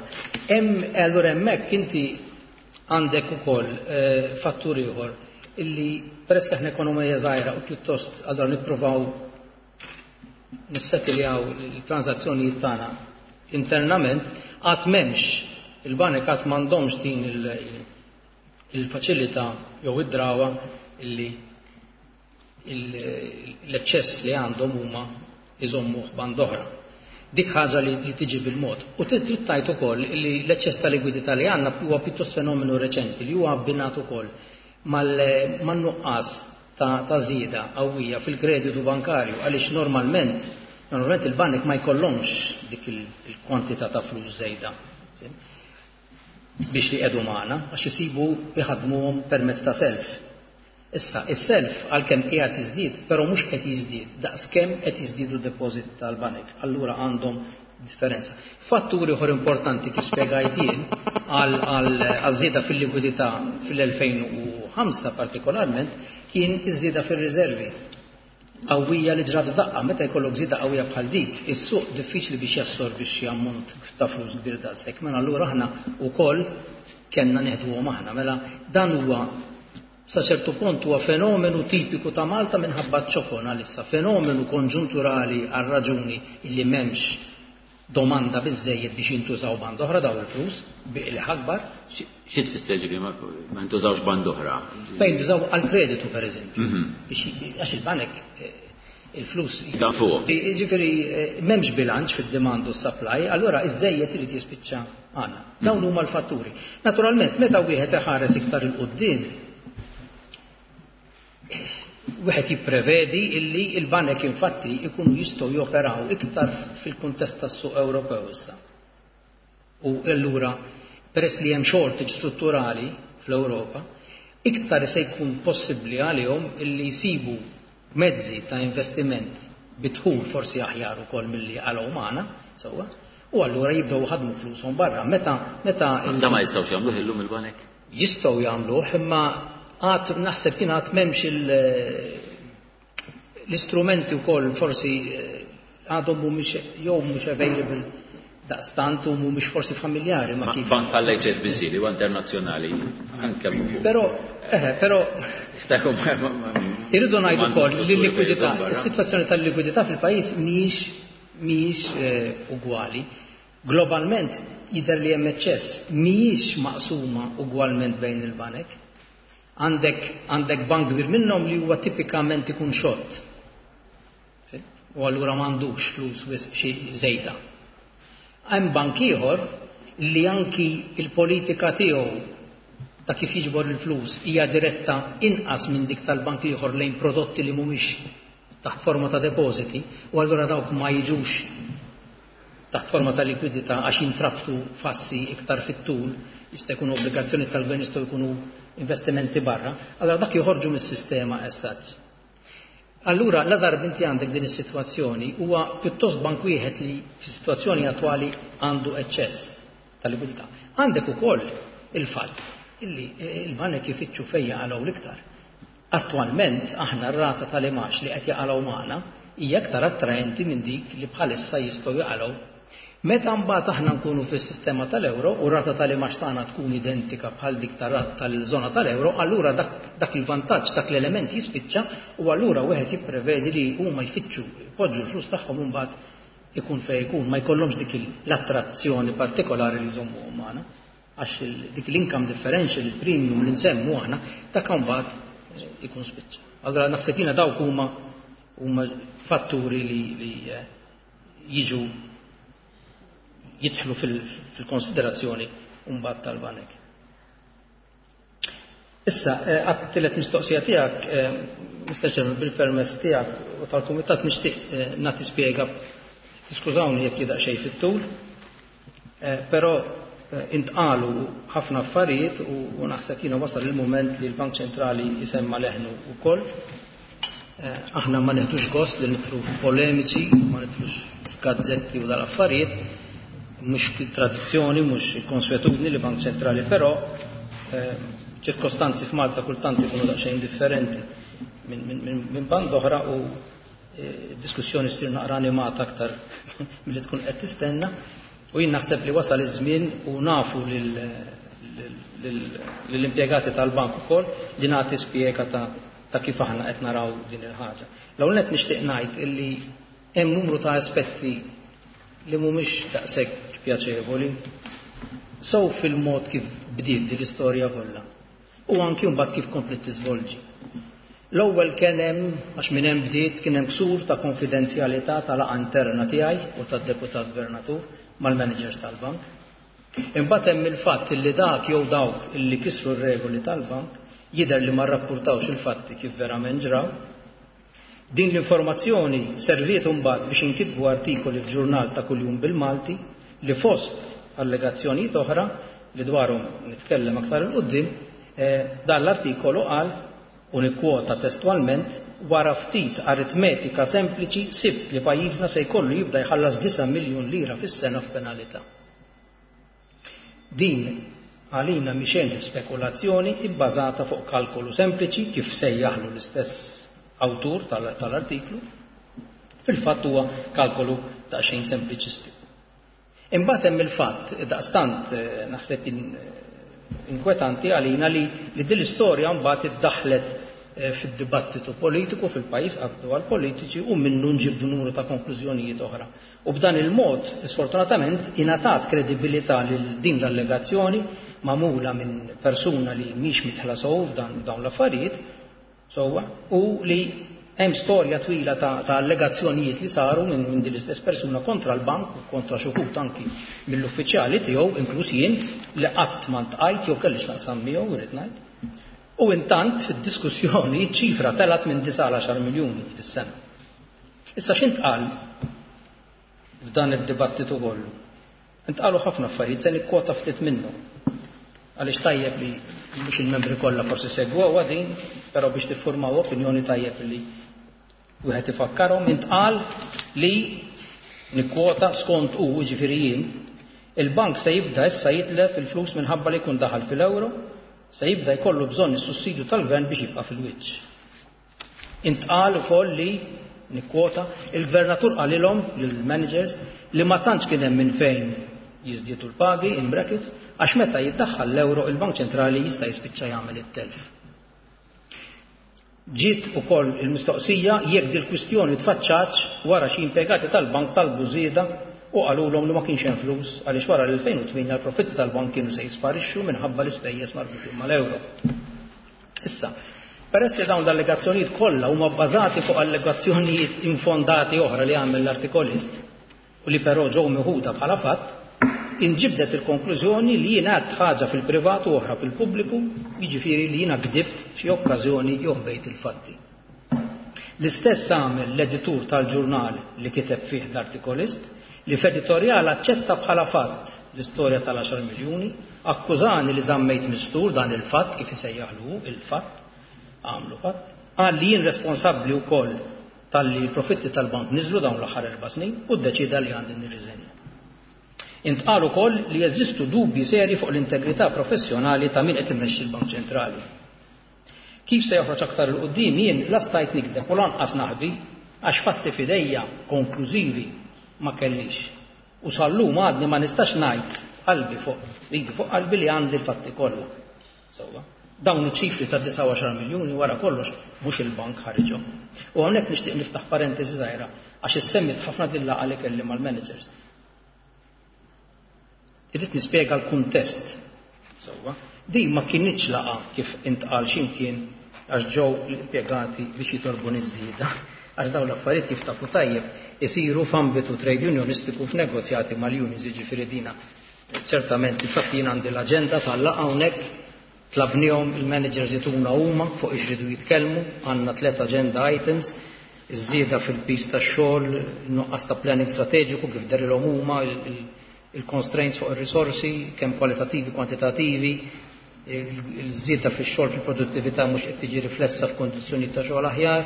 B: Hemm allura hemmhekk inti għandek ukoll fattur ieħor illi peress li aħna ekonomija żgħira u pjuttost allura nippruvaw nissettiljaw il-transazzjonijiet tagħna internament, għad m'hemmx il-banek għad m'għandhomx din il-faċilità jew id-drawa illi l-eċċess li għandhom huma iżommuh band oħra. Dik ħaġa li tiġi bil-mod. U trid tgħid ukoll li l-eċċess ta' likwidità li għandna huwa pjuttost fenomenu reċenti li huwa abbinat ukoll man-nuqqas ta' żieda qawwija fil-kreditu bankarju, għaliex normalment normalment il-banek ma jkollhomx dik il-kwantità ta' flus żejda biex li qiegħdu magħna, għax isibu jħadmuhom permezz ta' self. Issa, is-self għalkemm qiegħed jiżdied, però mhux qed jiżdied daqskemm qed jiżdiedu deposit tal-banek. Allura għandhom differenza. Fatturi oħra importanti kif spjegajt jien għal żieda fil-likwidità fil-elfejn u ħamsa partikolarment kien iż-żieda fir-riservi qawwija li ġrat f'daqqa. Meta jkollok żieda qawwija bħal dik, is-suq diffiċli biex jassorbi xi ammont ta' flus kbir daqshekk. Mela allura aħna wkoll kellna neħduhom aħna. Mela dan huwa sa ċertu punt huwa fenomenu tipiku ta' Malta minħabba ċokon għalissa, fenomenu konġunturali għal raġuni illi m'hemmx domanda biżejjed biex jintużaw band oħra daw il-flus bi akbar.
A: Xi tfisser ġifieri ma jintużawx band oħra?
B: Fejn jintużaw għal kreditu pereżempju. Għax il-banek il-flus.
A: Dan fuq.
B: Ġifieri m'hemmx bilanċ fid-demand u supply, allura iż-żejjed irid jispiċċa għandna. Dawn huma l-fatturi. Naturalment, meta wieħed iħares iktar il-quddiem, wieħed jipprevedi illi il-banek infatti ikunu jistgħu joperaw iktar fil-kuntest tas-suq Ewropew issa. U allura peress li hemm shortage strutturali fl-Ewropa, iktar se jkun possibbli għalihom illi jsibu mezzi ta' investiment bidħul forsi aħjar ukoll milli għalhom magħna, sewwa, u allura jibdew ħadmu flushom barra. Meta meta
A: Da ma jistgħux jagħmluh illum il-banek?
B: Jistgħu jagħmluh, imma għad naħseb kien għad m'hemmx l-istrumenti wkoll, forsi għadhom mhumiex jew mhux available daqstant u mhumiex forsi familjari
A: ma' kif. Bank bħall-H S B C li huwa internazzjonali, nitkellmu fuq.
B: Però eh, però irridu ngħidu wkoll li l-likwidità, is-sitwazzjoni tal-likwidità fil-pajjiż mhijiex mhijiex ugwali. Globalment jidher li hemm eċċess, mhijiex maqsuma ugwalment bejn il-banek. Għandek għandek bank kbir minnhom li huwa tipikament ikun xott. U allura m'għandux flus wisq xi żejda. Hemm bank ieħor li anki il-politika tiegħu ta' kif jiġbor il-flus hija diretta inqas minn dik tal-bank ieħor lejn prodotti li mhumiex taħt forma ta' depositi, u allura dawk ma jiġux taħt forma ta' likwidità għax jintrabtu f'assi iktar fit-tul, jista' jkunu obbligazzjoni tal-gvern, jistgħu jkunu investimenti barra, allora dak joħorġu mis-sistema as such. Allura, la darba inti għandek din is-sitwazzjoni, huwa pjuttost bank wieħed li fis-sitwazzjoni attwali għandu eċċess ta' likwidità. Għandek ukoll il-fatt illi il-banek ifittxu fejn jaqalgħu l-iktar. Attwalment aħna r-rata tal-imax li qed jaqalgħu magħna hija aktar attraenti minn dik li bħalissa jistgħu jaqalgħu. Meta mbagħad aħna nkunu fis-sistema tal-euro u rata tal-imax tagħna tkun identika bħal dik tal-żona tal-euro, allura dak, dak il-vantaġġ, dak l-element jispiċċa u allura wieħed jipprevedi li huma jfittxu jpoġġu l-flus tagħhom imbagħad ikun fejn ikun, ma jkollhomx dik l-attrazzjoni partikolari li jżommuhom magħna. Għax dik l-income differential, il-premium li nsemmu aħna, dak mbagħad ikun spiċċa. Allura naħseb jiena dawk huma huma fatturi li, li jiġu jidħlu fil-konsiderazzjoni mbagħad tal-banek. Issa, għat-tielet mistoqsija tiegħek, Mister Chairman, bil-permess tiegħek u tal-Kumitat nixtieq nagħti spjega, tiskużawni jekk jidaq xejn fit-tul, però intqalu ħafna affarijiet u naħseb jiena wasal il-mument li l-Bank Ċentrali jisemma leħnu wkoll. Aħna ma neħdux gost li nidħlu polemiċi, ma nidħlux gazzetti u dal-affarijiet, mhux tradizzjoni, mhux konswetudni li Bank Ċentrali, però Ċirkostanzi f'Malta kultant ikunu daqsxejn differenti minn min, min, min band oħra u e, diskussjoni ssir naqra animata aktar milli tkun qed tistenna. U jien naħseb li wasal iż-żmien u nafu lill-impjegati tal-bank ukoll li nagħti spjega ta' ta' kif aħna qed naraw din il-ħaġa. L-ewwel nett nixtieq ngħid illi hemm numru ta' aspetti li mhumiex daqshekk pjaċevoli sew fil-mod kif bdiet din l-istorja kollha u anki mbagħad kif komplet tiżvolġi. L-ewwel kien hemm, għax minn hemm bdiet, kien hemm ksur ta' konfidenzjalità tal-laqgħa interna tiegħi u tad-deputat gvernatur mal-managers tal-bank. Imbagħad hemm il-fatt li dak jew dawk illi kisru r-regoli tal-bank jidher li ma rrappurtawx il-fatti kif verament ġraw. Din l-informazzjoni serviet imbagħad biex inkitbu artikoli f'ġurnal ta' kuljum bil-Malti li fost allegazzjonijiet oħra li dwarhom nitkellem aktar 'il quddiem, dan l-artikolu qal, u nikkwota testualment, wara ftit aritmetika sempliċi sibt li pajjiżna se jkollu jibda jħallas disa' miljun lira fis-sena f'penalità. Din għalina mhi xejn spekulazzjoni ibbażata fuq kalkolu sempliċi kif sejjaħlu l-istess awtur tal-artiklu. Fil-fatt huwa kalkolu daqsxejn sempliċistiku. Imbagħad hemm il-fatt daqstant naħseb inkwetanti għalina li li din l-istorja mbagħad iddaħħlet fid-dibattitu politiku fil-pajjiż qabdu għall-politiċi u minnu nġibdu numru ta' konklużjonijiet oħra. U b'dan il-mod, sfortunatament, ingħatat kredibilità lil din l-allegazzjoni magħmula minn persuna li mhix mitħla sew f'dan dawn l-affarijiet, sewwa, u li hemm storja twila ta', ta' allegazzjonijiet li saru minn min din l-istess persuna kontra l-bank u kontra xi wħud anki mill-uffiċjali tiegħu, inkluż jien, li qatt ma ntqajt jew kelli x'naqsam miegħu, irid ngħid. U intant fid-diskussjoni ċifra telat minn disa' għal għaxar miljuni fis-sena. Issa x'intqal f'dan id-dibattitu kollu? Intqalu ħafna affarijiet, se nikkwota ftit minnhom. Għaliex tajjeb li mhux il-membri kollha forsi segwewha din, però biex tiffurmaw opinjoni tajjeb li wieħed ifakkarhom. Intqal li nikkwota skont hu, jiġifieri jien, il-bank se jibda issa jitlef il-flus minħabba li jkun daħal fil-ewro, se jibda jkollu bżonn is-sussidju tal-gvern biex jibqa' fil-wiċċ. Intqal ukoll li nikkwota il-gvernatur qalilhom lill-managers li ma tantx kien hemm minn fejn jiżdiedu l-pagi in brackets għax meta jiddaħħal l-ewro il-Bank Ċentrali jista' jispiċċa jagħmel it-telf. Ġiet ukoll il-mistoqsija jekk dil-kwistjoni tfaċċatx wara xi impjegati tal-bank talbu żieda u qalulhom li ma kienx hemm flus għaliex wara l-elfejn u tmienja l-profitti tal-bank kienu se jisparixxu minħabba l-ispejjeż marbutin mal-ewro. Issa, peress li dawn l-allegazzjonijiet kollha huma bbażati fuq allegazzjonijiet infondati oħra li għamel l-artikolist u li però ġew meħuda bħala fatt, inġibdet il-konklużjoni li jiena għedt ħaġa fil-privat u oħra fil-pubbliku, jiġifieri li jiena gdibt f'xi okkażjoni jew ħbejt il-fatti. L-istess għamel l-editur tal-ġurnal li kiteb fih l-artikolist, li f'editorjal aċċetta bħala fatt l-istorja tal-għaxar miljuni, akkużani li żammejt mistur dan il-fatt kif isejjaħlu il-fatt, għamlu fatt, qal li jien responsabbli wkoll talli l-profitti tal-bank niżlu dawn l-aħħar erba' snin u ddeċida li għandi nirriżenja. Intqal ukoll li jeżistu dubji seri fuq l-integrità professjonali ta' min qed imexxi l-Bank Ċentrali. Kif se joħroġ aktar 'il quddiem jien la stajt nikdeb u lanqas naħbi għax fatti f'idejja konklużivi ma kellix. U sal-lum għadni ma nistax ngħid qalbi fuq ridi fuq qalbi li għandi l-fatti kollha. Sewwa, dawn iċ-ċifri ta' disa' u għaxar miljuni wara kollox mhux il-bank ħariġhom. U hawnhekk nixtieq niftaħ parentesi żgħira għax issemmit ħafna din laqgħa li kelli mal-managers. Irrid nispjega l-kuntest. Sewwa, din ma kinitx laqgħa kif intqal x'imkien għax ġew l-impjegati biex jitolbu niż-żieda, għax dawn l-affarijiet kif tafu tajjeb isiru f'ambitu trade unionistiku f'negozjati mal-unions, jiġifieri dina. Ċertament, infatti jien għandi l-aġenda tal-laqgħa hawnhekk, tlabnihom il-managers jituna huma fuq ixridu jitkellmu, għandna tliet agenda items, iż-żieda fil-pis tax-xogħol, nuqqas ta' planning strateġiku kif derilhom huma, il-constraints fuq ir-risorsi, kemm kwalitattivi, kwantitativi, il-żieda fix-xogħol fil-produttività mhux qed tiġi riflessa f'kondizzjonijiet ta' xogħol aħjar,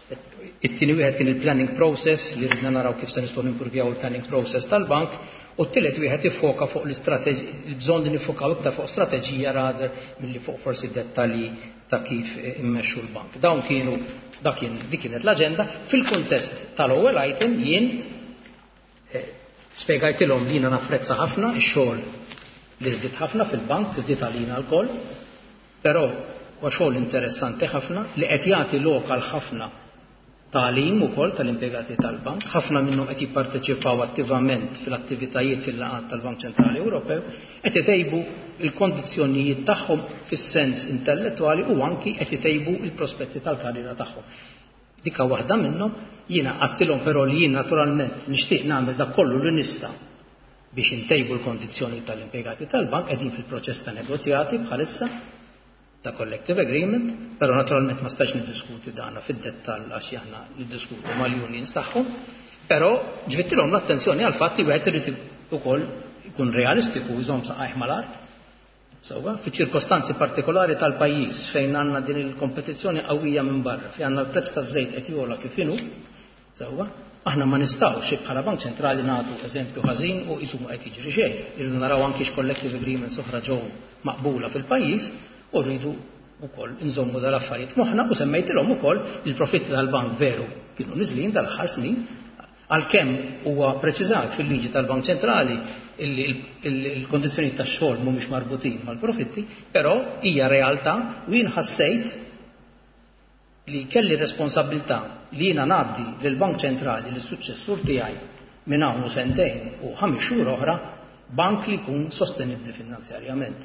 B: It-tieni wieħed kien il-planning process li ridna naraw kif se nistgħu nimpruvjaw il-planning process tal-bank, u t-tielet wieħed iffoka fuq l-istrateġija, il-bżonn li nifokaw iktar fuq strateġija rather milli fuq forsi dettalji ta' kif immexxu l-bank. Dawn kienu dak kien dik kienet l-aġenda. Fil-kuntest tal-ewwel item jien eh, spjegajtilhom li jiena napprezza ħafna ix-xogħol li żdied ħafna fil-bank, żdied għalina lkoll, però huwa xogħol interessanti ħafna li qed jagħti lok għal ħafna tagħlim ukoll tal-impjegati tal-bank, ħafna minnhom qed jipparteċipaw attivament fil-attivitajiet fil-laqgħat tal-Bank Ċentrali Ewropew, qed itejbu l-kondizzjonijiet tagħhom fis-sens intellettwali u anki qed itejbu l-prospetti tal-karriera tagħhom. Dika waħda minnhom, jiena għedtilhom però li jien naturalment nixtieq nagħmel dak kollu li nista' biex intejbu l-kondizzjoni tal-impjegati tal-bank, qegħdin fil-proċess ta' negozjati bħalissa ta' collective agreement, però naturalment ma stax niddiskuti dana fid-dettall għax aħna niddiskutu mal-unions tagħhom, però ġbidtilhom l-attenzjoni għal fatt li wieħed irid ukoll ikun realistiku, jżomm saqajh mal-art. Sewwa, fi ċirkostanzi partikolari tal-pajjiż fejn għandna din il-kompetizzjoni qawwija minn barra, fejn għandna l-prezz taż-żejt qed jogħla kif inhu, sewwa, aħna ma nistgħux bħala Bank Ċentrali nagħtu eżempju ħażin u qisu ma qed jiġri xejn. Irridu naraw anki x'collective agreements oħra ġew maqbula fil-pajjiż u rridu wkoll nżommu dal-affarijiet moħħna, u semmejtilhom ukoll il-profitti tal-bank veru kienu niżlin dal-aħħar snin, għalkemm huwa preċiżat fil-liġi tal-Bank Ċentrali illi il-kondizzjoni tax-xogħol mhumiex marbutin mal-profitti, però hija realtà u jien ħassejt li kelli responsabilità li jiena ngħaddi lill-Bank Ċentrali lis-suċċessur tiegħi minn hawn u sentejn u ħames xhur oħra bank li jkun sostenibbli finanzjarjament.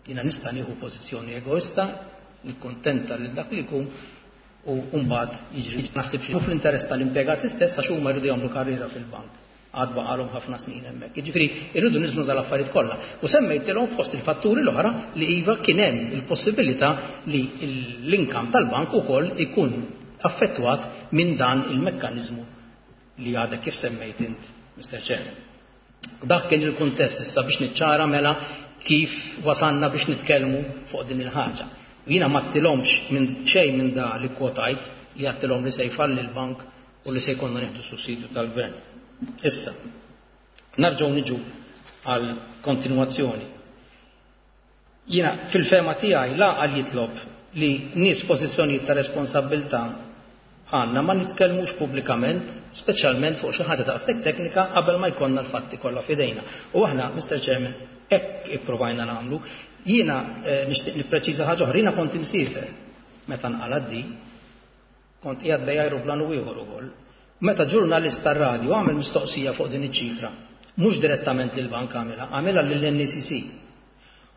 B: Jiena nista' nieħu pożizzjoni egoista, nikkuntenta lil dak li jkun u mbagħad jiġri. Naħseb xi fl-interess tal-impjegati stess għax huma jridu jagħmlu karriera fil-bank. Għad baqalhom ħafna snin hemmhekk. Jiġifieri irridu niżnu dal-affarijiet kollha. U semmejtilhom fost il-fatturi l-oħra li iva kien hemm il-possibilità li l-income tal-bank ukoll ikun affettwat minn dan il-mekkaniżmu li għadek kif semmejt int, Mister Chairman. Dak kien il-kuntest issa biex niċċara mela kif wasanna biex nitkellmu fuq din il-ħaġa. Jiena ma għedtilhomx minn xejn minn da li kwotajt li għedtilhom li se jfalli l-bank u li se jkollna nieħdu sussidju tal-gvern. Issa, narġgħu niġu għal kontinwazzjoni. Jiena fil-fema tiegħi l-għaqal jitlob li nies pożizzjonijiet ta' responsabbiltà għandna ma nitkellmux pubblikament, speċjalment fuq xi ħaġa daqshekk teknika qabel ma jkollna l-fatti kollha f'idejna. U aħna, Mister Chairman, hekk ippruvajna nagħmlu. Jiena eh, nixtieq nippreċiża ħaġa oħra, jiena kont imsiefer meta nqala di, kont qiegħed bejn ajruplan u ieħor ukoll. Meta ġurnalist tar-radju għamel mistoqsija fuq din iċ-ċifra, mhux direttament lill-bank għamilha, għamilha lill-N E C C.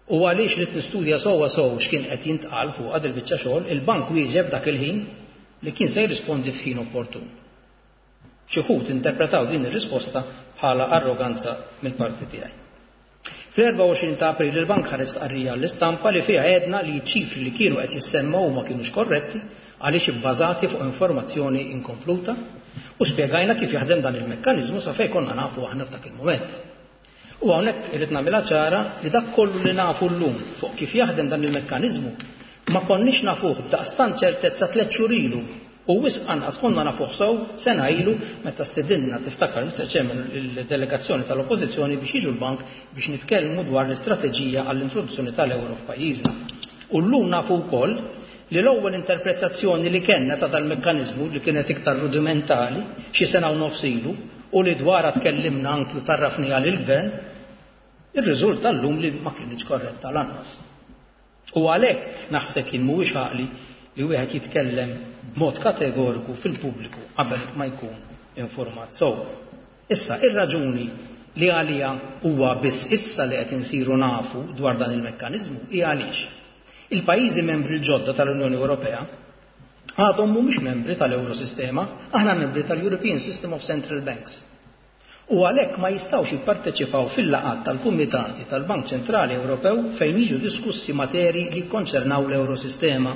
B: U għaliex li nistudja sewwa sew x'kien qed jintqal fuq għad il-biċċa xogħol, il-bank wieġeb dak il-ħin li kien se jirrispondi f'ħin opportun. Xi wħud interpretaw din ir-risposta bħala arroganza mill-parti tiegħi. Fl-erbgħa u għoxrin ta' April il-bank ħareġ stqarrija l-istampa li fiha għedna li ċifri li kienu qed jissemmaw ma kienux korretti għaliex ibbażati fuq informazzjoni inkompluta u spjegajna kif jaħdem dan il-mekkaniżmu sa fejn konna nafu aħna f'dak il-mument. U hawnhekk irid nagħmilha ċara li dak kollu li nafu llum fuq kif jaħdem dan il-mekkaniżmu ma konniex nafuh b'daqstant ċertezza tliet xhur ilu u wisq anqas konna nafuh sew sena ilu meta stedinna, tiftakar, Mister Chairman, il-delegazzjoni tal-Oppożizzjoni biex jiġu l-bank biex nitkellmu dwar l-istrateġija għall-introduzzjoni tal-euro f'pajjiżna. U llum nafu wkoll li l-ewwel interpretazzjoni li kellna ta' dal-mekkaniżmu li kienet iktar rudimentali xi sena u nofs ilu u li dwarha tkellimna anki u tarrafni għal il-gvern, irriżulta llum li ma kienx korretta lanqas. U għalhekk naħseb kien mhuwiex għaqli li wieħed jitkellem b'mod kategoriku fil-pubbliku qabel ma jkun informat sew. Issa, ir-raġuni li għalija huwa biss issa li qed insiru nafu dwar dan il-mekkaniżmu hija għaliex il-pajjiżi membri l-ġodda tal-Unjoni Ewropea għadhom mhumiex membri tal-Eurosistema, aħna membri tal-European System of Central Banks. U għalhekk ma jistgħux jipparteċipaw fil-laqgħat tal-Kumitati tal-Bank Ċentrali Ewropew fejn jiġu diskussi materi li jikkonċernaw l-Eurosistema.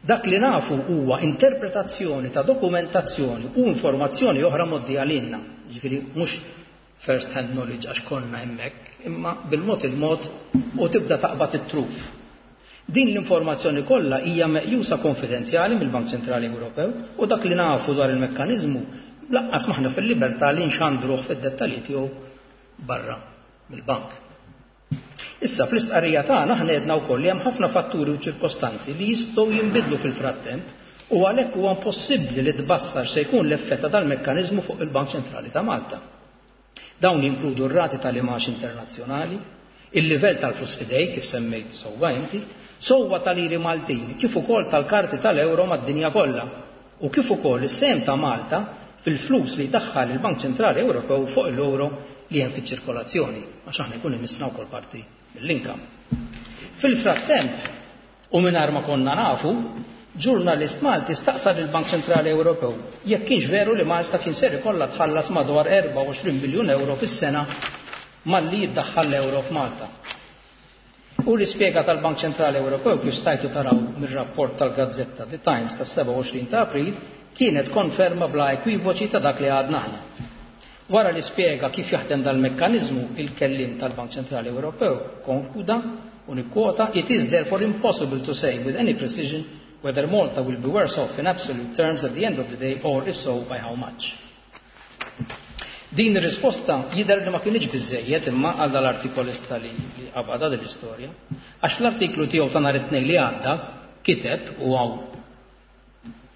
B: Dak li nafu huwa interpretazzjoni ta' dokumentazzjoni u informazzjoni oħra mgħoddija lilna. Ġifieri mhux first hand knowledge għax konna hemmhekk, imma bil-mod il-mod u tibda taqbad it-truf. Din l-informazzjoni kollha hija meqjusa konfidenzjali mill-Bank Ċentrali Ewropew u dak li nafu dwar il-mekkaniżmu lanqas m'aħna fil-libertà li nxandruh fid-dettalji tiegħu barra mill-bank. Issa fl-istqarrija tagħna aħna għedna wkoll li hemm ħafna fatturi u ċirkostanzi li jistgħu jinbidlu fil-frattemp u għalhekk huwa impossibbli li tbassar se jkun l-effett ta' dal-mekkaniżmu fuq il-Bank Ċentrali ta' Malta. Dawn jinkludu r-rati tal-imgħax internazzjonali, il-livell tal-flus f'idejk kif semmejt sewwa inti, sewwa tal-liri Maltin, kif ukoll tal-karti tal-euro mad-dinja kollha u kif ukoll is-sehem ta' Malta fil-flus li daħħal il-Bank Ċentrali Ewropew fuq l-euro li hemm fiċ-ċirkolazzjoni, għax aħna jkun imissna wkoll parti mill-income. Fil-frattemp, u mingħajr ma konna nafu, ġurnalist Malti staqsa lill-Bank Ċentrali Ewropew jekk kienx veru li Malta kien ser ikollha tħallas madwar erbgħa u għoxrin miljun euro fis-sena malli jiddaħħal l-euro f'Malta. U l-ispjega tal-Bank Ċentrali Ewropew, kif stajtu taraw mir-rapport tal-gazzetta The Times tas-sebgħa u għoxrin ta' April, kienet konferma bla ekwivoċi ta' dak li għadna aħna. Wara li spjega kif jaħdem dal-mekkaniżmu, il-kellim tal-Bank Ċentrali Ewropew konkluda, u nikkwota, "It is therefore impossible to say with any precision whether Malta will be worse off in absolute terms at the end of the day or, if so, by how much." Din ir-risposta jidher li ma kienx biżejjed imma għal dal-artikolista li, li qabada din l-istorja. Għax fl-artiklu tiegħu ta' nhar it-Tnejn li għadda kiteb, u hawn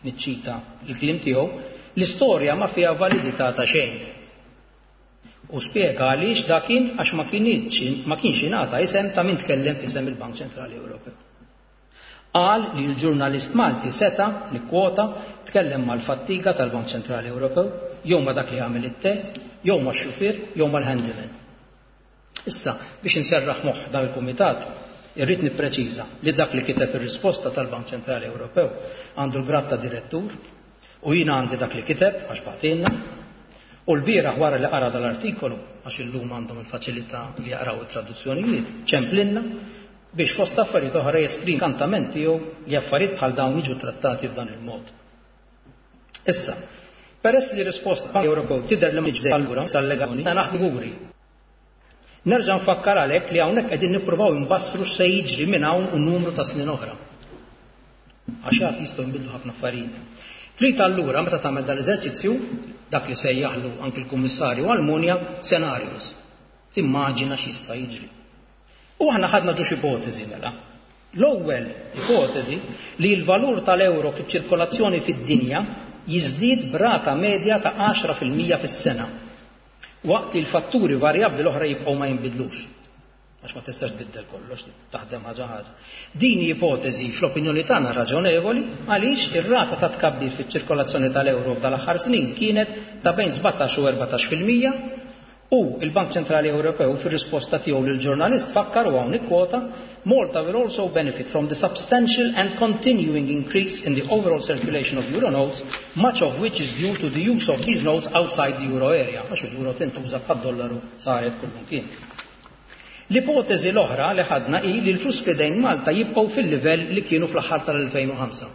B: niċċita il-kliem tiegħu, "L-istorja ma fiha validità ta' xejn." U spjega għaliex dakin, għax ma kienx ma kienx ingħata isem ta' min tkellem f'isem il-Bank Ċentrali Ewropew. Qal li l-ġurnalist Malti seta, nikkwota, tkellem mal-fattiga tal-Bank Ċentrali Ewropew, jew ma dak li għamel it-te, jew ma' xufier, jew mal-handyman. Issa, biex inserraħ moħħ dan il-kumitat, irrid nippreċiża li dak li kiteb ir-risposta tal-Bank Ċentrali Ewropew għandu l-grad ta' direttur u jiena għandi dak li kiteb għax bagħtilna. U l-bieraħ, wara li qara dal-artikolu, għax illum għandhom il-faċilità li jaqraw it-traduzzjonijiet, ċemplinna biex fost affarijiet oħra jesprimi kantament tiegħu li affarijiet bħal dawn jiġu trattati f'dan il-mod. Issa, peress li risposta Bank Ewropew tidher li mhix allura sal-legali ta' naħdmu. Nerġa' nfakkar għalhekk li hawnhekk qegħdin nippruvaw nbassru x'se jiġri minn hawn u numru ta' snin oħra. Għax għad jistgħu jinbidlu ħafna affarijiet. Trid allura meta tagħmel dal-eżerċizzju, dak li sejjaħlu anki l-Kummissarju Almunia scenarios. Timmaġina x'jista' jiġri. U aħna ħadna ġiex ipoteżi mela. L-ewwel ipoteżi li l-valur tal-euro fiċ-ċirkolazzjoni fid-dinja jiżdied b'rata medja ta' għaxra fil-mija fis-sena, waqt li l-fatturi varjabbli l-oħra jibqgħu ma jinbidlux. Għax ma tistax tbiddel kollox, taħdem ħaġa ħaġa. Din ipoteżi fl-opinjoni tagħna raġonevoli, għaliex ir-rata ta' tkabbir fiċ-ċirkolazzjoni tal-euro f'dal-aħħar snin kienet ta' bejn sbatax u erbatax fil-mija u il-Bank Ċentrali Ewropew fir-risposta tiegħu lill-ġurnalist fakkar, u hawn nikkwota, "Malta will also benefit from the substantial and continuing increase in the overall circulation of euro notes, much of which is due to the use of these notes outside the euro area." Għax il-euro tintuża bħad-dollaru, saret kullimkien. L-ipoteżi l-oħra li ħadna hi li l-flus f'idejn Malta jibqgħu fil-livell li kienu fl-aħħar tal-elfejn u ħamsa.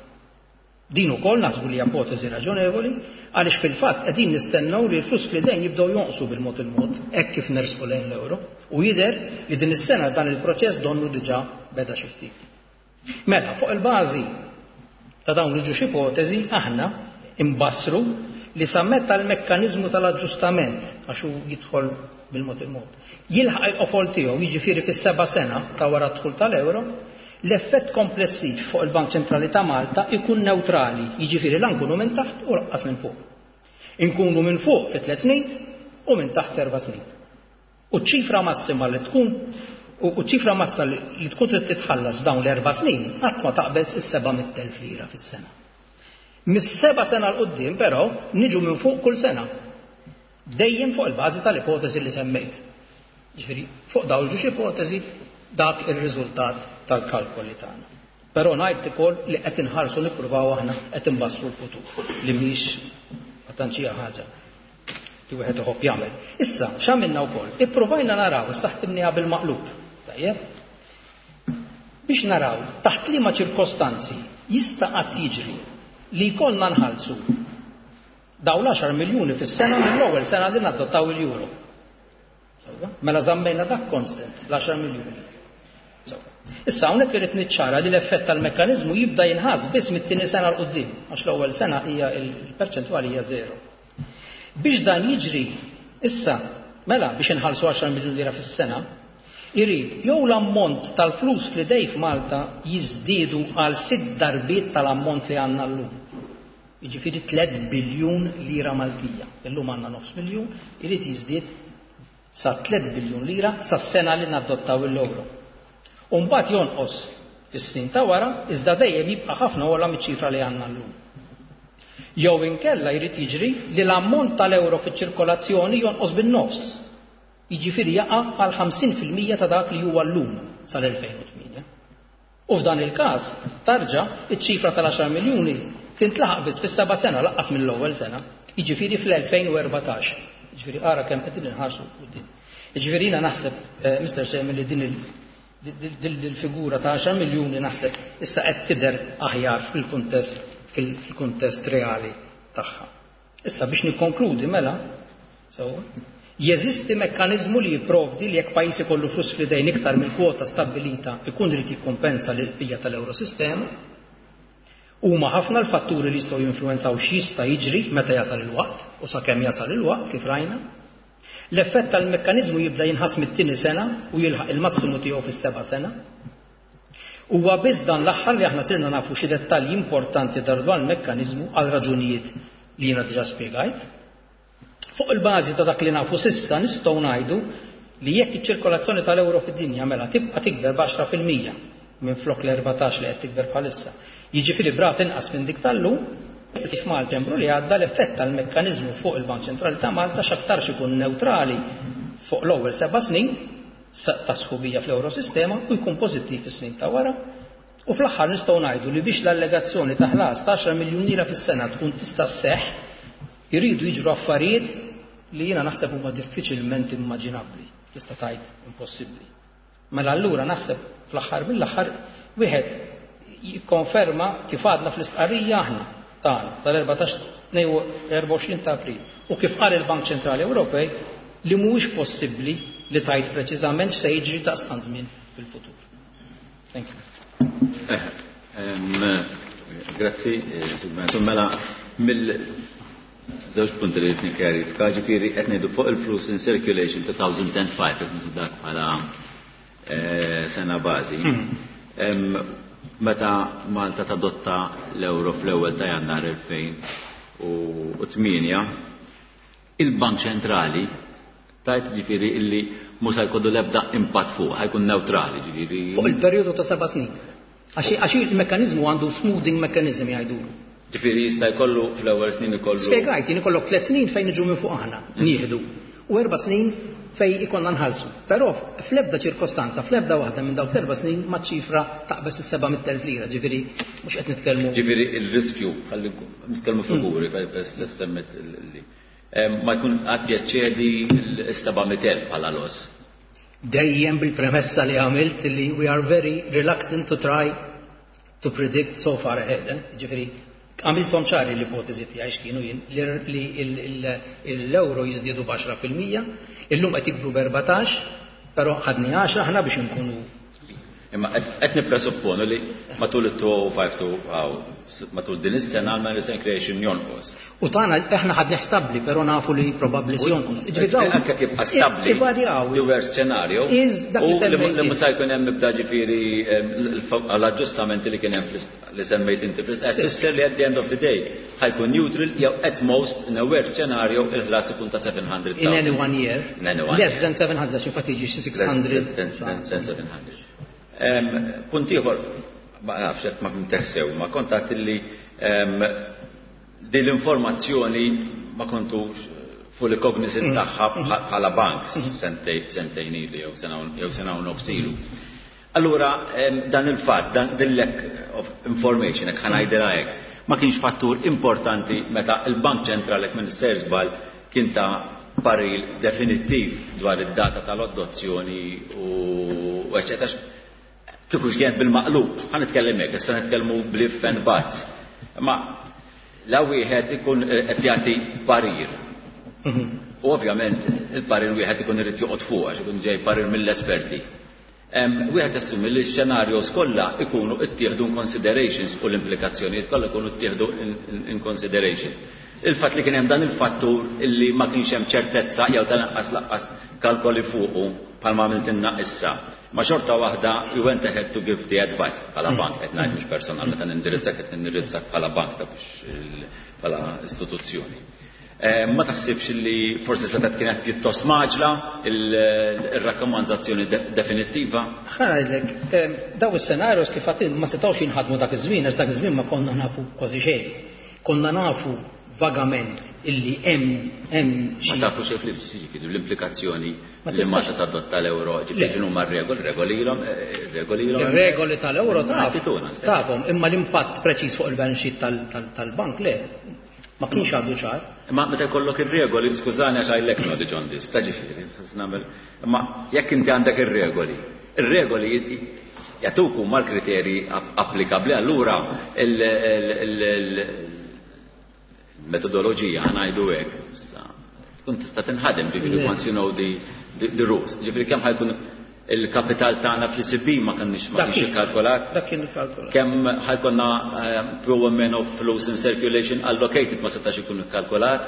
B: Din ukoll naħsbu li ipoteżi raġonevoli, għaliex fil-fatt qegħdin nistennew li l-flus fl-idejn jibdew jonqsu bil-mod il-mod hekk kif nersqu lejn l-euro u jidher li din is-sena dan il-proċess donnu diġà beda xi ftit. Mela, fuq il-bażi ta' dawn il-ġiex ipoteżi aħna imbassru li sa meta l-mekkaniżmu tal-aġġustament, għax hu jidħol bil-mod il-mod, jilħaq il-qofol tiegħu, jiġifieri fis-seba' sena ta' wara d-dħul tal-euro, l-effett komplessiv fuq il-Bank Ċentrali ta' Malta ikun neutrali, jiġifieri la nkunu minn taħt u lanqas minn fuq. Inkunu minn fuq fi tliet snin u minn taħt erba' snin. U ċifra massima li tkun u ċifra massa li tkun trid titħallas f'dawn l-erba' snin qatt ma taqbeż is-seba' mitt elf lira fis-sena. Mis-seba' sena 'l quddiem però niġu minn fuq kull sena. Dejjem fuq il-bażi tal-ipoteżi li semmejt. Ġifieri, fuq dawn il-ġiex ipoteżi dak ir-riżultat tal-kalkoli tagħna. Però ngħid ukoll li qed inħarsu, nippruvaw aħna qed inbassru l-futur, li mhix ma tantx hija ħaġa li wieħed iħobb jagħmel. Issa, x'għamilna wkoll? Ippruvajna naraw, issa ħdimniha bil-maqlub. Tajjeb? Biex naraw taħt liema ċirkostanzi jista' qatt jiġri li jkollna nħallsu dawn l-għaxar miljuni fis-sena mill-ewwel sena li nadottaw il-euro. Mela żammejna dak constant, l-għaxar miljuni. Issa hawnhekk irid niċċara li l-effett tal-mekkaniżmu jibda jinħass biss mit-tieni sena 'l quddiem, għax l-ewwel sena hija l-perċentwali hija żero. Biex dan jiġri issa, mela biex inħallsu għaxar miljun lira fis-sena, irid jew l-ammont tal-flus fl-idej f'Malta jiżdiedu għal sitt darbiet tal-ammont li għandna llum. Jiġifieri tliet biljun lira Maltija. Illum għandna nofs miljun, irid jiżdied sa tliet biljun lira sas-sena li nadottaw l-euro. U mbagħad jonqos fis-snin ta' wara, iżda dejjem jibqa' ħafna ogħla miċ-ċifra li għandna llum. Jew inkella jrid jiġri li l-ammont tal-euro fiċ-ċirkolazzjoni jonqos bin-nofs. Jiġifieri jaqa' għal ħamsin fil-mija ta' dak li huwa llum sal-elfejn u tmienja. U f'dan il-każ tarġa' iċ-ċifra tal-għaxar miljuni tintlaħaq biss fis-seba' sena laqqas mill-ewwel sena, jiġifieri fl-elfejn u erbatax. Jiġifieri ara kemm qegħdin inħarsu quddiem. Jiġifieri jiena naħseb, eh, Mister Chairman, li din il-, din il-figura ta' għaxar miljuni naħseb issa qed tidher aħjar fil-kuntest, fil-kuntest reali tagħha. Issa biex nikkonkludi mela, so, jeżisti mekkaniżmu li jipprovdi li jekk pajjiż ikollu flus f'idejn iktar mill-kwota stabbilita ikun irid jikkompensa lil bqija tal-Eurosistema. Huma ħafna l-fatturi li jistgħu jinfluwenzaw x'jista' jiġri meta jasal il-waqt u sakemm jasal il-waqt kif rajna. L-effett tal-mekkaniżmu jibda jinħass mit-tieni sena u jilħaq il-massimu tiegħu fis-seba' sena. Huwa biss dan l-aħħar li aħna sirna nafu xi dettalji importanti dwar dan il-mekkaniżmu għal raġunijiet li jiena diġà spjegajt. Fuq il-bażi ta' dak li nafu sissa nistgħu ngħidu li jekk iċ-ċirkolazzjoni tal-euro fid-dinja mela tibqa' tikber b'għaxra fil-mija minn flok l-erbatax li qed tikber bħalissa. Jiġifieri brat inqas minn dik tal-lum, f'Malta Embru li għadda l-effett tal-mekkaniżmu fuq il-Bank Ċentrali ta' Malta x'aktarx ikun neutrali fuq l-ewwel seba' snin ta' sħubija fl-Eurosistema u jkun pożittiv fis-snin ta' wara. U fl-aħħar nistgħu ngħidu li biex l-allegazzjoni ta' ħlas ta' għaxar miljun lira fis-sena tkun tista' sseħħ, iridu jiġru affarijiet li jiena naħseb huma diffiċilment immaġinabbli, tista' tgħid impossibbli. Mela allura naħseb fl-aħħar mill-aħħar wieħed jikkonferma kif għadna fl-istqarrija aħna tagħna tal-erbatax erba' u għoxrin ta' April u kif qal il-Bank Ċentrali Ewropej li mhuwiex possibbli li tgħid preċiżament x'se jiġri daqstant żmien fil-futur. Thank you.
A: Eh, em, grazzi, eh, mela mill żewġ punti li qed nikkjarifika, ġifieri qed ngħidu fuq il-flus in circulation two thousand and five qed ngħidu dak bħala, eh, sena bażi.
B: Hmm.
A: Em, meta Malta tadotta l-euro fl-ewwel ta' Jannar elfejn u tmienja, il-Bank Ċentrali tajt ġifieri illi mhux se jkollu l-ebda impatt fuq, ħajkun neutrali ġifieri.
B: Fuq il-perjodu ta' seba' snin. Għax, għax il-mekkaniżmu għandu smoothing mechanism jgħidulu.
A: Ġifieri jista' jkollu fl-ewwel snin ikollu.
B: Spjegajt, jien ikollok tliet snin fejn niġu minn fuq aħna, nieħdu, u erba' snin fej ikonna nħallsu. Però fl-ebda ċirkostanza, fl-ebda waħda minn dawk l-erba' snin ma ċifra taqbeż is-seba' mitt elf lira, ġifieri mhux qed nitkellmu.
A: Ġifieri il-riskju, ħalli nitkellmu figuri, fejn stess semmet li ma jkun qatt jeċċedi s-seba' mitt elf bħala loss.
B: Dejjem bil-premessa li għamilt li we are very reluctant to try to predict so far ahead. Eh? Ġifieri, għamiltom ċari l-ipotezi tiegħi x'kienu jien li l-euro jiżdiedu b'għaxra fil-mija, illum qed jikbru b'erbatax, però ħadni għaxra aħna biex inkunu.
A: Imma qed nippresupponu li matul it-two oh five two oh, matul din is-sena għal recent creation jonqos.
B: U tagħna aħna ħadni stabbli, però nafu li probabbli se jonqos. Ġifieri dawn
A: Anke kif bqa' stabbli,
B: ivarjaw.
A: the worst scenario,
B: Is dak li
A: u li
B: semmejt
A: li mhux se jkun hemm ibda ġifieri, em, l-aġġustamenti li kien hemm fl-ist-, li semmejt inti fl-ist-,
B: Sì.
A: tfisser li at the end of the day ħajkun neutral jew at most in a worst scenario il-ħlas ikun ta' seven hundred
B: In any
A: thousand.
B: one year.
A: In any one
B: Less
A: year.
B: than seven hundred, infatti jiġi xi six
A: Less
B: hundred.
A: than, than, than seven hundred. Em, punt ieħor, ma nafx hekk ma fimtex sew, ma kont għedt li, em, din l-informazzjoni ma kontux fully cognizant
B: Mm.
A: tagħha bħa-, bħala bank
B: Mm.
A: sentej, sentejn ilu jew sena u, jew sena u nofs ilu. Allura, em, dan il-fatt, dan din lack of information, hekk ħanajdilha hekk, ma kienx fattur importanti meta il-Bank Ċentrali hekk minn sejr żball kien ta' paril definittiv dwar id-data tal-adozzjoni u, u eċċetera. Kieku kien bil-maqlub, ħa nitkellem hekk, issa nitkellmu bl-if and buts. Ma la wieħed ikun qed jagħti parir.
B: Mhm.
A: U ovvjament il-parir wieħed ikun irid joqgħod fuq għax ikun ġej parir mill-esperti. Wieħed assumi li x-scenarios kollha ikunu ttieħdu in considerations u l-implikazzjonijiet kollha ikunu ttieħdu in consideration. Il-fatt li kien hemm dan il-fattur illi ma kienx hemm ċertezza jew tal-anqas laqqas kalkoli fuqu bħalma għamiltilna issa. Ma xorta waħda you went ahead to give the advice bħala bank, qed ngħid mhux personal meta nindirizzak qed nindirizzak bħala bank ta' biex bħala istituzzjoni. Ma taħsibx li forsi setgħet kienet pjuttost maġla il-rakkomandazzjoni definittiva?
B: Ħa ngħidlek, daw is-scenarios kif għatil ma setgħux jinħadmu dak iż-żmien, għax dak iż-żmien ma konna nafu kważi xejn. Konna nafu vagament illi hemm hemm
A: xi. Ma tafu xejn fl l-implikazzjoni li Malta tadotta l-euro, ġifieri x'inhu huma r-regoli, regoli ilhom, regoli ilhom.
B: Ir-regoli tal-euro taf. Tafhom, imma l-impatt preċiż fuq il-balance sheet tal-bank le. Ma kienx għadu ċar.
A: Imma meta jkollok ir-regoli, skużani għax I lack knowledge on this, ta' ġifieri, nagħmel. Imma jekk inti għandek ir-regoli, ir-regoli jagħtuk huma l-kriterji applikabbli, allura il-metodoloġija ħa ngħidu hekk, tkun tista' tinħadem, ġifieri once you know the the rules. Ġifieri kemm ħajkun il-kapital tagħna fl-E C B ma kienx ma kienx ikkalkulat.
B: Dak kien ikkalkulat.
A: Kemm ħajkonna pro meno flus in circulation allocated ma setax ikun ikkalkulat.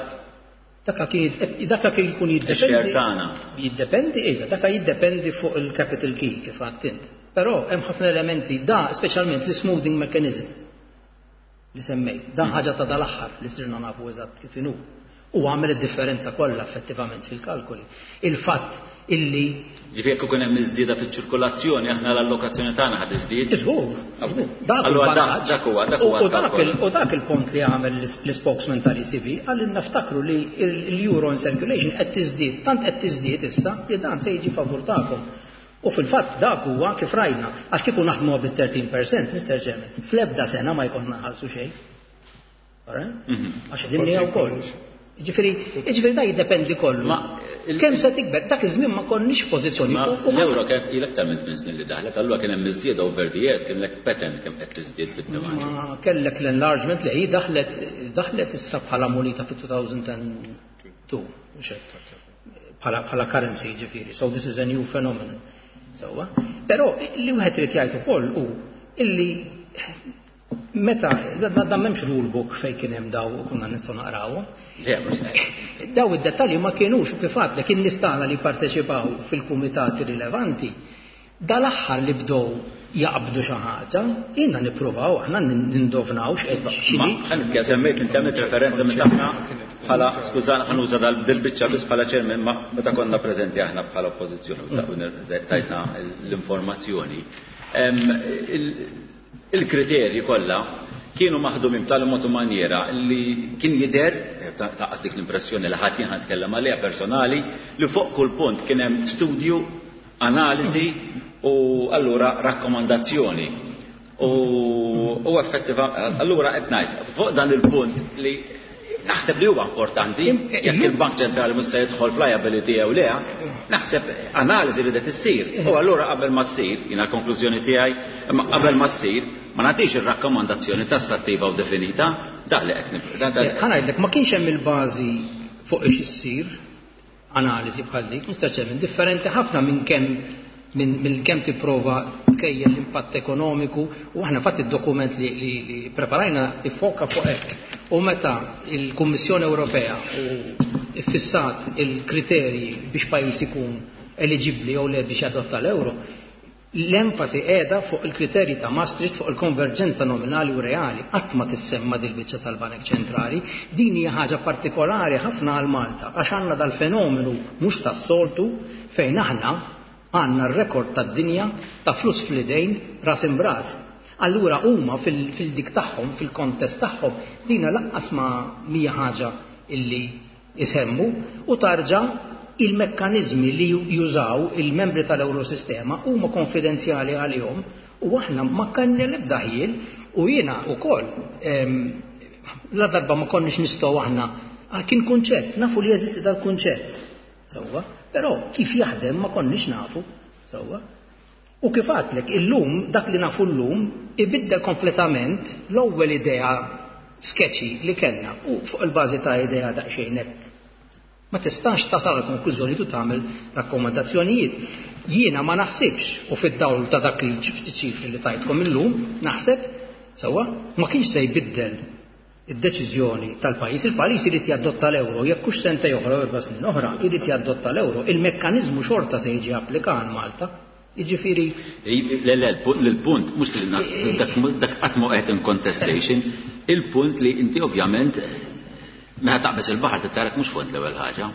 B: Dak kien dak kien ikun jiddependi.
A: Ix-share tagħna.
B: Jiddependi, iva, dak jiddependi fuq il-capital key kif għedt int. Però hemm ħafna elementi da speċjalment l-smoothing mechanism li semmejt. Dan ħaġa ta' dal-aħħar li sirna nafu eżatt kif inhu. U għamel id-differenza kollha effettivament fil-kalkoli. Il-fatt illi
A: Ġifieri jekk ikun hemm iż-żieda fiċ-ċirkolazzjoni aħna l-allokazzjoni tagħna ħad iżdied.
B: Iżgur, iżgur. Dak
A: Allura dak,
B: il-vantaġġ.
A: dak huwa, dak huwa
B: U dak
A: l-kalkolu.
B: il-, u dak il-punt li għamel l-spokesman tal-E C B għal naftakru li l-euro in circulation qed tiżdied, tant qed tiżdied issa li dan se jiġi favur tagħkom. U fil-fatt dak huwa kif rajna, għax kieku naħdmu bit-thirteen percent, Mister Chairman, fl-ebda sena ma jkollna nħallsu xejn. All right?
A: Mhm.
B: Għax qegħdin ngħidu wkoll. Ġifieri, ġifieri da jiddependi kollu.
A: Ma il-
B: Kemm se tikber, dak iż-żmien ma konniex pożizzjoni.
A: Ma
B: U-, u ma-
A: l-euro kienet ilek ta' minn tmien snin li daħlet, allura kien hemm iżjieda over the years, kien lek pattern kemm qed tiżdied fid-demand.
B: Ma kellek l-enlargement li hi daħlet, daħlet issa bħala munita fi two thousand and two, mhux hekk. Bħala, bħala currency ġifieri. So this is a new phenomenon. Sewwa. Però li wieħed irid jgħid ukoll hu illi meta da, da, da m'hemmx rule book fejn kien hemm daw u konna nistgħu naqrawhom.
A: Le, mhux hekk.
B: Daw id-dettalji ma kienux u kif għadlek kien nistana li parteċipaw fil-kumitati rilevanti. Dal-aħħar li bdew jaqbdu xi ħaġa, jiena nippruvaw aħna nindovnaw x'qed x'inhi.
A: Ma ħa nitkellem, semmejt inti għamilt referenza meta aħna bħala, skużani, ħa nuża dal-biċċa biss bħala chairman, ma meta konna preżenti aħna bħala oppożizzjoni u tajtna l-informazzjoni. Em, il-, il-kriterji kollha kienu maħdumin b'tali mod u maniera li kien jidher, ta-, taqqas dik l-impressjoni li ħadd jien ħa nitkellem għaliha personali, li fuq kull punt kien hemm studju, analiżi u allura rakkomandazzjoni. U, u effettiva, allura qed ngħid, fuq dan il-punt li naħseb li huwa importanti,
B: Im-,
A: jekk il-Bank Ċentrali mhux se jidħol f'liability jew le, naħseb analiżi li qed issir. U allura qabel ma ssir, jiena l-konklużjoni tiegħi, imma qabel ma ssir, ma nagħtix ir-rakkomandazzjoni tassattiva u definita, dak li qed nif-, da-, da-
B: Eh, ħa ngħidlek, ma kienx hemm il-bażi fuq ix issir analiżi bħal dik, Mister Chairman, differenti ħafna minn kemm minn, minn kemm tipprova tkejjel l-impatt ekonomiku, u aħna fatt id-dokument li, li, li preparajna iffoka fuq hekk. U meta il-Kummissjoni Ewropea u iffissat il-kriterji biex pajjiż ikun eligibbli jew le biex jadotta l-euro, l-enfasi qiegħda fuq il-kriterji ta' Maastricht fuq il-konverġenza nominali u reali. Qatt ma tissemma dil-biċċa tal-Banek Ċentrali. Din hija ħaġa partikolari ħafna għal Malta, għax għandna dal-fenomenu mhux tas-soltu fejn aħna għandna r-rekord tad-dinja ta' flus fl-idejn ras imbras. Allura huma fil-, fil-dik tagħhom, fil-kontest tagħhom, dina lanqas ma mija ħaġa illi isemmu, u tarġa' il-mekkanizmi li jużaw il-membri tal-Eurosistema huma konfidenzjali għalihom, u aħna ma kellna l-ebda ħjiel, u jiena wkoll, ehm, la darba ma konniex nistgħu aħna, kien kunċett, nafu li jeżisti dal-kunċett, sewwa, però kif jaħdem ma konniex nafu, sewwa. U kif għadlek, illum, dak li nafu llum, ibiddel kompletament l-ewwel idea sketchy li kellna, u fuq il-bażi ta' idea daqsxejn hekk. Ma tistax tasal għal konklużjoni tu tagħmel rakkomandazzjonijiet. Jiena ma naħsibx, u fid-dawl ta' dak il-ċifri li tajtkom illum, naħseb, sewwa, ma kienx se jbiddel id-deċiżjoni tal-pajjiż. Il-pajjiż irid jadotta l-euro, jekk hux sentejn oħra u erba' snin oħra, irid jadotta l-euro. Il-mekkaniżmu xorta se jiġi applikat għal Malta. Jiġifieri.
A: Le, le, l-punt, mhux dak qatt ma qed in contestation, il-punt li inti ovvjament meta taqbeż il-baħar tittarak mhux fond l-ewwel ħaġa.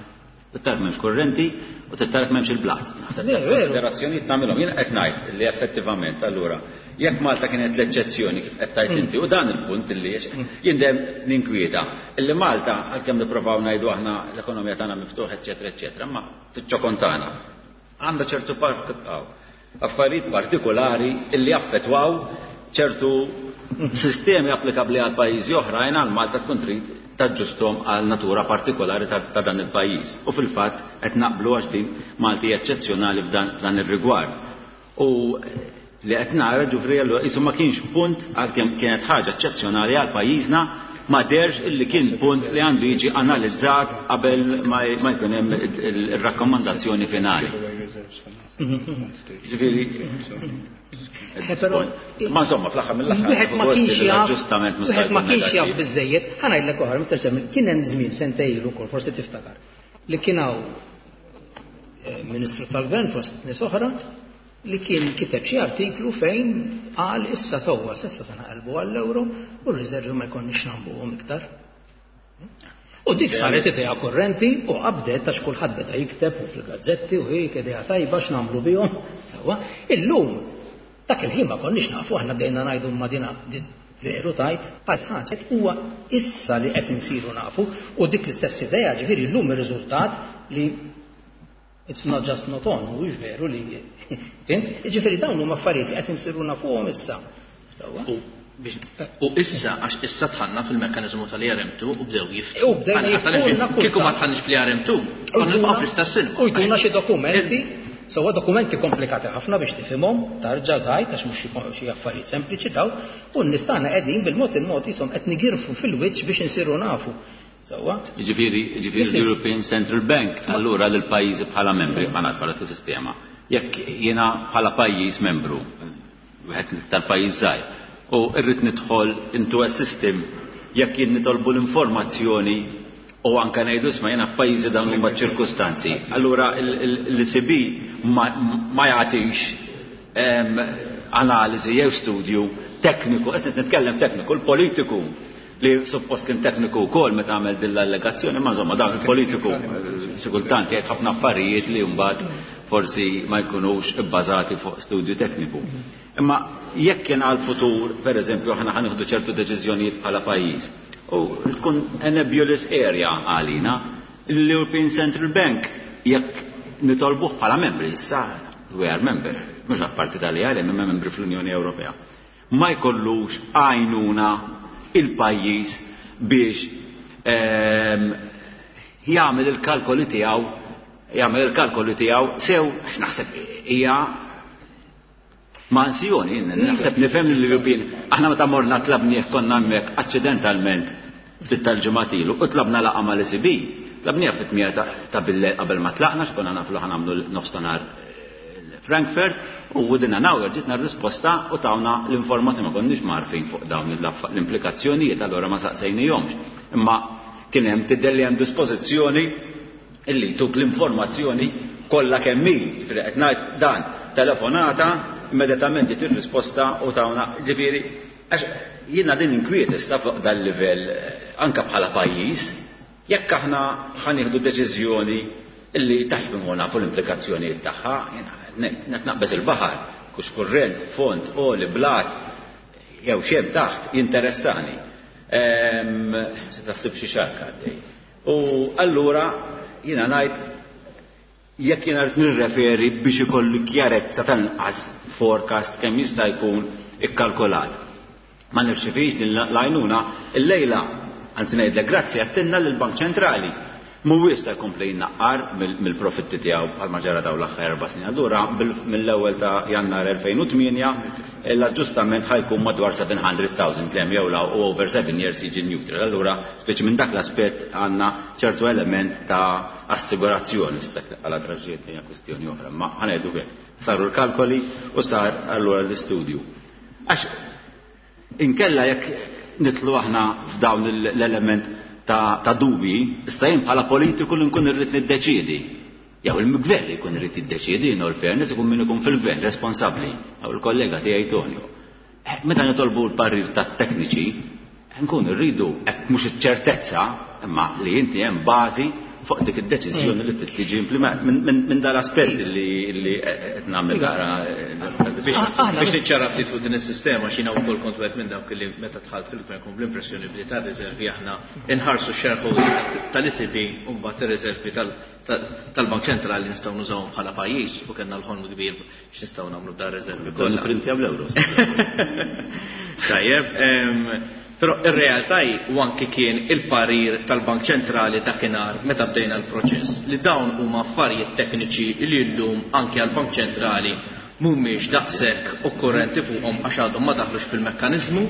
A: Tittarak m'hemmx kurrenti u tittarak m'hemmx il-blat. Konsiderazzjonijiet nagħmilhom. Jien qed ngħid li effettivament allura jekk Malta kienet l-eċċezzjoni kif qed tgħid inti, u dan il-punt illi jien dejjem ninkwieta illi Malta għalkemm nippruvaw ngħidu aħna l-ekonomija tagħna miftuħ eċċetera eċċetera, imma fiċ-ċokon tagħna għandha ċertu affarijiet partikolari illi affettwaw ċertu sistemi applikabbli għal pajjiżi oħrajn għal Malta tkun trid taġġustom għal natura partikolari ta' dan il-pajjiż. U fil-fatt qed naqblu għax din Malti eċċezzjonali f'dan ir-rigward. U li qed nara ġufri allura qisu ma kienx punt għalkemm kienet ħaġa eċċezzjonali għal pajjiżna, ma derx illi kien punt li għandu jiġi analizzat qabel ma jkun hemm ir-rakkomandazzjoni finali. Ġifieri ma insomma fl-aħħar mill-aħħar
B: wieħed ma kienx jaf, wieħed ma kienx jaf biżejjed. Ħa ngħidlek oħra, Mister Chairman, kien hemm żmien sentejn ilu wkoll, forsi tiftakar, li kien hawn Ministru tal-Gvern fost nies oħra li kien kiteb xi artiklu fejn qal issa sewwa s'issa se naqalbu għall-euro u r-riservi ma jkollniex nagħmluhom iktar. U dik saret idea kurrenti u qabdet għax kulħadd beda jikteb u fil-gazzetti u hik idea tajba x'nagħmlu bihom. Sewwa, illum dak il-ħin ma konniex nafu, aħna bdejna ngħidu ma din veru tajt, għax ħaġa huwa issa li qed insiru nafu u dik l-istess idea ġifieri llum ir-riżultat li it's not just not on, mhuwiex veru li fint, jiġifieri dawn huma affarijiet li qed insiru nafuhom issa.
C: U issa għax issa dħalna fil-mekkaniżmu tal-E R M two u bdew jiftħu.
B: U bdew jiftħu.
C: Kieku ma dħalniex fl-E R M two, konna nibqgħu fl-istess ilma.
B: U jtuna xi dokumenti, sewwa dokumenti komplikati ħafna biex tifhimhom, tarġa' tgħid għax mhux xi affarijiet sempliċi daw, u n-nies tagħna qegħdin bil-mod il-mod ishom qed nigirfu fil-wiċċ biex insiru nafu. Sewwa?
A: Jiġifieri, jiġifieri l-European Central Bank allura lil pajjiżi bħala membri ma nafx bħala sistema. Jekk jiena bħala pajjiż membru, wieħed tal-pajjiż żgħir, u rrid nidħol into a system jekk jien nitolbu l-informazzjoni u anke ngħidu isma' jiena f'pajjiżi dawn huma ċirkustanzi. Allura l-E C B ma jagħtix analiżi jew studju tekniku, qed nitkellem tekniku, l-politiku li suppost kien tekniku wkoll meta għamel din l-allegazzjoni, ma insomma dan il-politiku xi kultant jgħid ħafna affarijiet li mbagħad forsi ma jkunux ibbażati fuq studju tekniku. Imma jekk kien għall-futur, pereżempju, aħna ħanieħdu ċertu deċiżjonijiet bħala pajjiż, u tkun a nebulous area għalina, l-European Central Bank jekk nitolbuh bħala membri, issa we are member, mhux apparti tal-E R M, imma membri fl-Unjoni Ewropea, ma jkollux għajnuna il-pajjiż biex jagħmel il-kalkoli tiegħu, jagħmel il-kalkoli tiegħu sew, għax naħseb hija mansjoni, naħseb nifhem l-European. Aħna meta morna tlabnieh konna hemmhekk aċċidentalment ftit tal-ġimgħat ilu u tlabna laqgħa mal-E C B, tlabnieh fit-tmija ta' billejl qabel ma tlaqna, x'konna nafu li ħanagħmlu nofstanhar Frankfurt, u within an hour ġitna r-risposta u tawna l-informazzjoni, ma konniex marfin fuq dawn l-implikazzjonijiet, allura ma saqsejnihomx. Imma kien hemm tidher li hemm dispożizzjoni illi tuk l-informazzjoni kollha kemm hi. Ġifieri qed ngħid dan telefonata, immedjatament ġiet ir-risposta u tawna, ġifieri għax jiena din inkwiet issa fuq dal-livell anke bħala pajjiż, jekk aħna ħanieħdu deċiżjoni illi tajjeb imma nafu l-implikazzjonijiet tagħha, jiena qed naqbeż il-baħar, kux kurrent, font, oli, blat, jew xejn taħt, jinteressani. Ehm, se tassib xi xarka għaddej. U allura jiena ngħid jekk jiena rrid nirreferi biex ikolli kjarezza tal-inqas forecast kemm jista' jkun ikkalkulat. Ma nirċevix din l-għajnuna illejla, anzi ngħidlek grazzi għattinna lill-Bank Ċentrali. Mhuwiex ta' jkompli jnaqqar mill-profitti tiegħu bħalma ġara dawn l-aħħar erba' snin. Allura mill-ewwel ta' Jannar elfejn u tmienja l-aġġustament ħajkun madwar seven hundred thousand lem jew law u over seven years jiġi neutral. Allura speċi minn dak l-aspett għandna ċertu element ta' assigurazzjoni għala traġġiet hija kwistjoni oħra, ma ħanejdu hekk. Saru l-kalkoli u sar allura l-istudju. Għax inkella jekk nitlu aħna f'dawn l-element ta', ta dubi, issa jien bħala politiku li nkun irrid niddeċiedi. Jew il-gvern li jkun irid jiddeċiedi, in all fairness ikun min ikun fil-gvern responsabbli, jew il-kollega tiegħi Tonio. Meta nitolbu l-parir tat-tekniċi, nkun irridu hekk mhux iċ-ċertezza, imma li inti hemm bażi fuq dik id-deċiżjoni li tiġi implement minn dal-aspett li qed nagħmel nara
C: biex niċċara ftit fuq din is-sistema x'jiena wkoll kont wieħed minn dawk li meta dħalt fil-gvern kont bl-impressjoni bdi tar-riservi aħna inħarsu x-shareholding tal-E C B u mbagħad ir-riservi tal-Bank Ċentrali nistgħu nużawhom bħala pajjiż u kellna l-ħolm kbir x'nistgħu nagħmlu b'dan riservi kollha.
A: Nipprintjaw l-ewro.
C: Tajjeb, però ir-realtà hi u anki kien il-parir tal-Bank Ċentrali dakinhar meta bdejna l-proċess li dawn huma affarijiet tekniċi li llum anki għall-Bank Ċentrali mhumiex daqshekk okkurrenti fuqhom għax għadhom ma daħlux fil-mekkaniżmu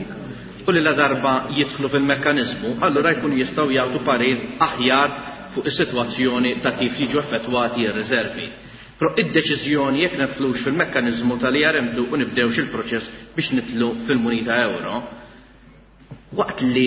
C: u li la darba jidħlu fil-mekkaniżmu allura jkunu jistgħu jagħtu parir aħjar fuq is-sitwazzjoni ta' kif jiġu effettwati r-riservi. Però id-deċiżjoni jekk nidħlux fil-mekkaniżmu tal-E R M two u nibdewx il-proċess biex nidħlu fil-munita euro, waqt li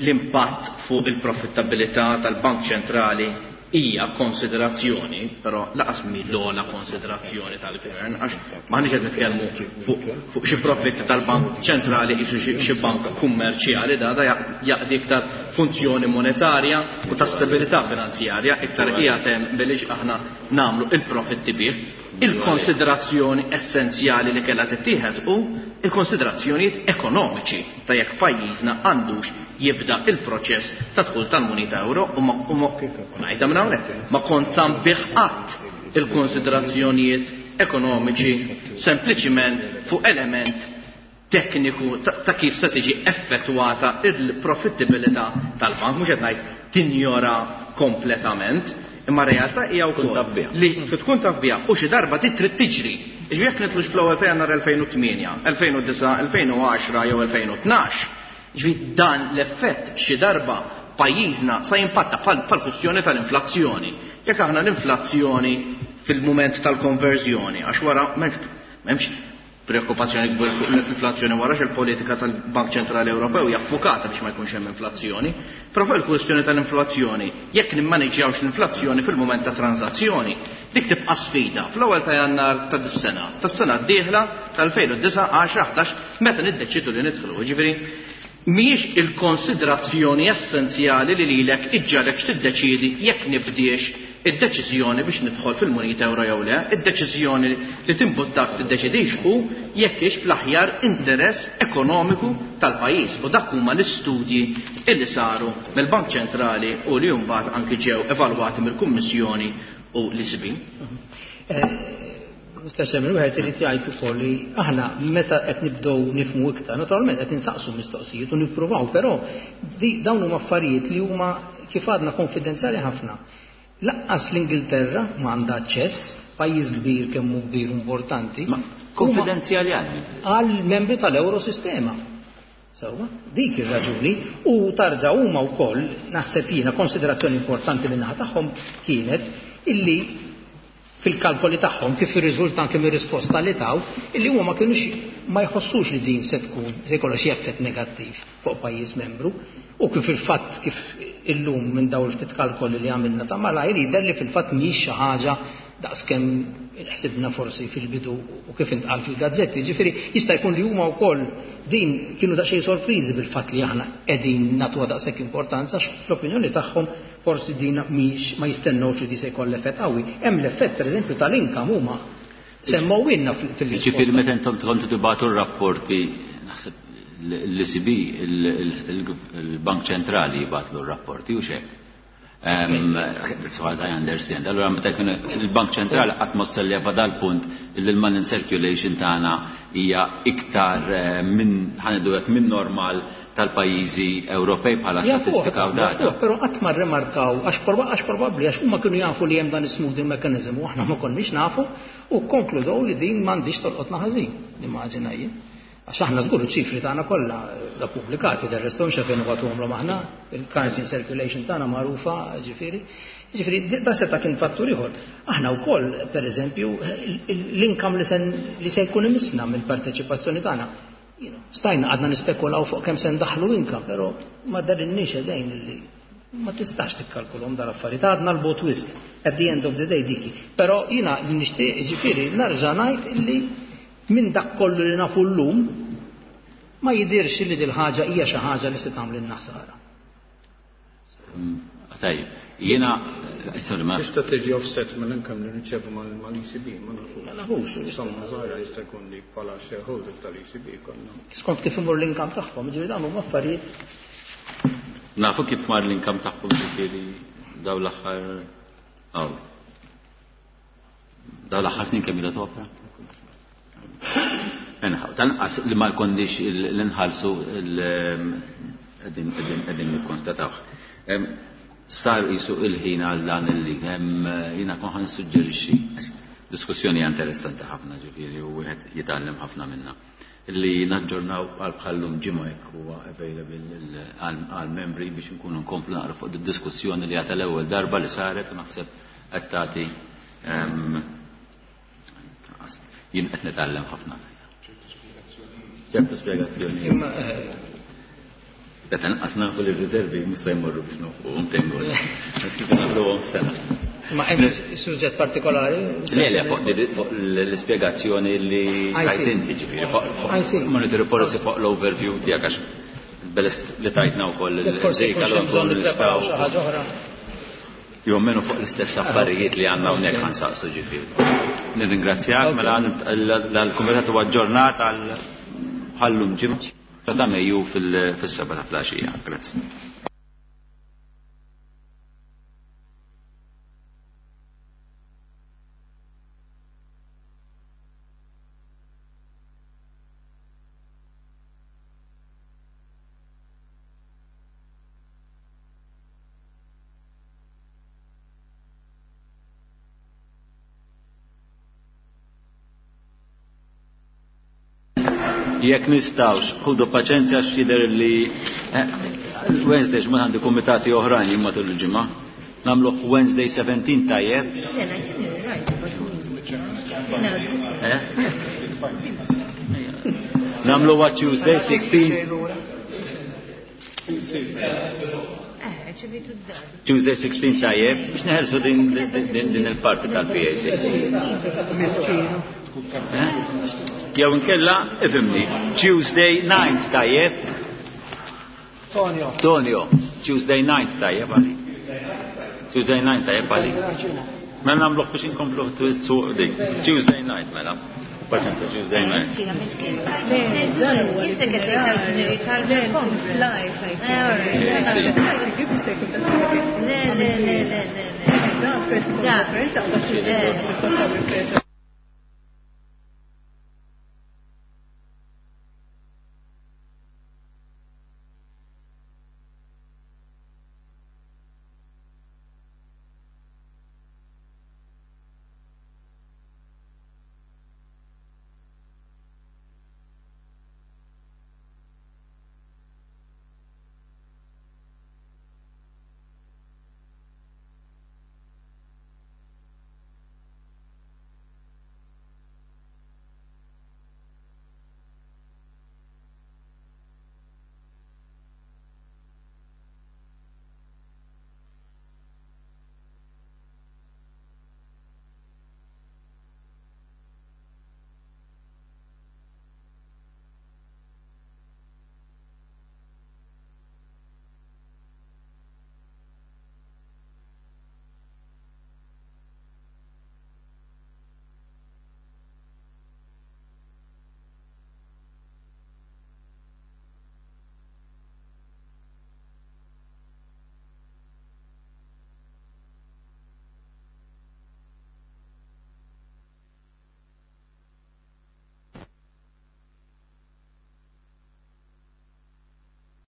C: l-impatt fuq il-profittabilità tal-Bank Ċentrali hija konsiderazzjoni, però laqas mi l-ogħla konsiderazzjoni tal-gvern, għax m'aħniex qed nitkellmu fuq, fuq xi profitti tal-Bank Ċentrali qisu xi, xi bank kummerċjali, da, da jaqdi iktar funzjoni monetarja u ta' stabilità finanzjarja, iktar qiegħed hemm biliex aħna nagħmlu il-profitti bih. Il-konsiderazzjoni essenzjali li kellha tittieħed hu il-konsiderazzjonijiet ekonomiċi ta' jekk pajjiżna għandux jibda il-proċess ta' dħul tal-munita euro u ma, u ma, u ngħidha minn hawnhekk, ma kont sabiħ qatt il-konsiderazzjonijiet ekonomiċi sempliċiment fuq element tekniku ta', ta' kif se tiġi effettwata il-profittibilità tal-bank, mhux qed ngħid tinjora kompletament, imma realtà hija wkoll
A: Tkun taf biha.
C: li tkun taf biha u xi darba ti trid tiġri. Jiġifieri jekk nitlux fl-ewwel ta' Jannar elfejn u tmienja, elfejn u disa', elfejn u għaxra jew elfejn u tnax, jiġifieri dan l-effett xi darba pajjiżna sa jimpatta bħal, bħal kwistjoni tal-inflazzjoni. Jekk aħna l-inflazzjoni fil-mument tal-konverżjoni, għax wara m'hemmx, m'hemmx preokkupazzjoni kbir fuq l-inflazzjoni wara il-politika tal-Bank Ċentrali Ewropew hija ffukata biex ma jkunx hemm inflazzjoni, però fuq il-kwistjoni tal-inflazzjoni, jekk nimmaneġġjawx l-inflazzjoni fil-mument ta' transazzjoni, dik tibqa' sfida fl-ewwel ta' Jannar ta' dis-sena, tas-sena d-dieħla tal-elfejn u disa', għaxra, ħdax, meta niddeċidu li nidħlu. Jiġifieri mhijiex il-konsiderazzjoni essenzjali li lilek iġġalek x'tiddeċiedi jekk nibdiex id-deċiżjoni biex nidħol fil-munita euro jew le, id-deċiżjoni li timbuttak tiddeċidix hu jekk hix fl-aħjar interess ekonomiku tal-pajjiż. U dak huma l-istudji illi saru mill-Bank Ċentrali u li mbagħad anki ġew evalwati mill-Kummissjoni u l-E C B.
B: Eh, Mister Chairman, wieħed irid jgħid ukoll li aħna meta qed nibdew nifhmu iktar, naturalment qed insaqsu mistoqsijiet u nippruvaw, però di-, dawn huma affarijiet li huma kif għadna konfidenzjali ħafna. Laqqas l-Ingilterra ma għandha aċċess, pajjiż kbir kemm hu kbir u importanti.
A: Ma konfidenzjali għal min?
B: Għal membri tal-Eurosistema. Sewwa, dik ir-raġuni u tarġa' huma wkoll naħseb jiena konsiderazzjoni importanti min-naħa tagħhom kienet illi fil-kalkoli tagħhom kif irriżulta anke mir-risposta li taw illi huma ma kienux ma jħossux li din se tkun se jkollha xi effett negattiv fuq pajjiż membru u kif il-fatt kif illum minn dawn il-ftit kalkoli li għamilna ta' malajr jidher li fil-fatt mhijiex xi ħaġa daqskemm ħsibna forsi fil-bidu u kif intqal fil-gazzetti. Ġifieri jista' jkun li huma wkoll din kienu daqsxejn sorpriżi bil-fatt li aħna qegħdin nagħtuha daqshekk importanza għax fl-opinjoni tagħhom forsi din mhijiex ma jistennewx li di se jkollha effett qawwi. Hemm l-effett pereżempju tal-income huma semmewilna fil-, fil-risposta.
A: Ġifieri meta intom kontu tibgħatu r-rapporti naħseb l-E C B, il-Bank Ċentrali jibgħatlu r-rapporti u x'hekk. Um, that's what I understand. Allora meta jkun il-Bank Ċentrali qatt ma selleva dal-punt li l-money circulation tagħna hija iktar, eh, minn, ħanidu hekk, minn normal tal-pajjiżi Ewropej bħala statistika u data.
B: Però qatt ma rrimarkaw għax probabbli għax huma kienu jafu li hemm dan is-smoothing mechanism u aħna ma konniex nafu u konkludew li din m'għandix tolqotna ħażin, nimmaġina jien. Għax aħna żgur iċ-ċifri tagħna kollha da pubblikati, del resto mhux fejn nagħtuhomlhom aħna, il-currency circulation tagħna magħrufa, ġifieri. Ġifieri da seta' kien fattur ieħor. Aħna wkoll, pereżempju, l-income li se jkun imissna mill-parteċipazzjoni tagħna. Stajna għadna nispekulaw fuq kemm se ndaħlu income, però ma darinniex idejn li ma tistax tikkalkulhom dal-affarijiet, għadna l-bot wisq. At the end of the day diki. Però jiena li nixtieq ġifieri nerġa' ngħid illi minn dak kollu li nafu llum ma jidirx li dil-ħaġa hija xi ħaġa li se tagħmlilna ħsara.
A: Tajjeb, jiena sorry ma
D: tista' tiġi offset mill-income li nirċevu mal-E C B, ma nafux.
B: Ma nafux,
D: insomma żgħira jista' jkun li bħala shareholder tal-E C B konna.
B: Skont kif imur l-income tagħhom, ġifieri dawn huma affarijiet.
A: Nafu kif mar l-income tagħhom ġifieri daw l-aħħar aw. Daw l-aħħar snin kemm ilha topra? Enħaw, tanqas li ma jkonniex l-inħalsu qegħdin nikkonstatawh. Sar jisu il-ħin għal dan illi jiena kon ħan nissuġġerixxi diskussjoni interessanti ħafna ġifieri u wieħed jitgħallem ħafna minnha. Illi naġġornaw għal bħallum ġimgħa jekk huwa available għal membri biex nkunu nkomplu naqra fuq id-diskussjoni li għata l-ewwel darba li saret u naħseb qed tagħti jien qed nitgħallem ħafna. Ċertu spjegazzjoni. Meta nqas nafu li r-riservi mhux se jmorru biex nofquhom tengol. Għax kif nagħmluhom sena.
B: Ma hemm suġġett partikolari?
A: Le, le, fuq l-ispjegazzjoni li tajt inti ġifieri, fuq monetary policy fuq l-overview tiegħek għax belest li tajtna wkoll il-dejka l
B: bżonn nippreparaw xi ħaġa oħra.
A: Jew menu fuq l-istess affarijiet li għandna hawnhekk ħansaqsu ġifieri. Nirringrazzjak, mela l-kumitat huwa aġġornat għal ħallum ġimgħa ta' Mejju fis-seba' ta' flaxija. Grazzi. Jekk nistgħux, ħudu paċenzja x'jidher li Wednesday x'ma għandi kumitati oħrajn jien matul il-ġimgħa. Nagħmluh Wednesday seventeen tajjeb. Eh? Nagħmluha Tuesday sixteen. Tuesday sixteen tajjeb biex neħelsu din din il-parti tal-P A C.
E: Miskinu.
A: Jew inkella, ifhimni, Tuesday ninth tajjeb.
E: Tonio.
A: Tonio, Tuesday ninth tajjeb għalik. Tuesday ninth tajjeb għalik. Mela nagħmluh biex inkomplu suq dik. Tuesday night mela. Paċenza Tuesday night.
F: Le, le, le, le, le.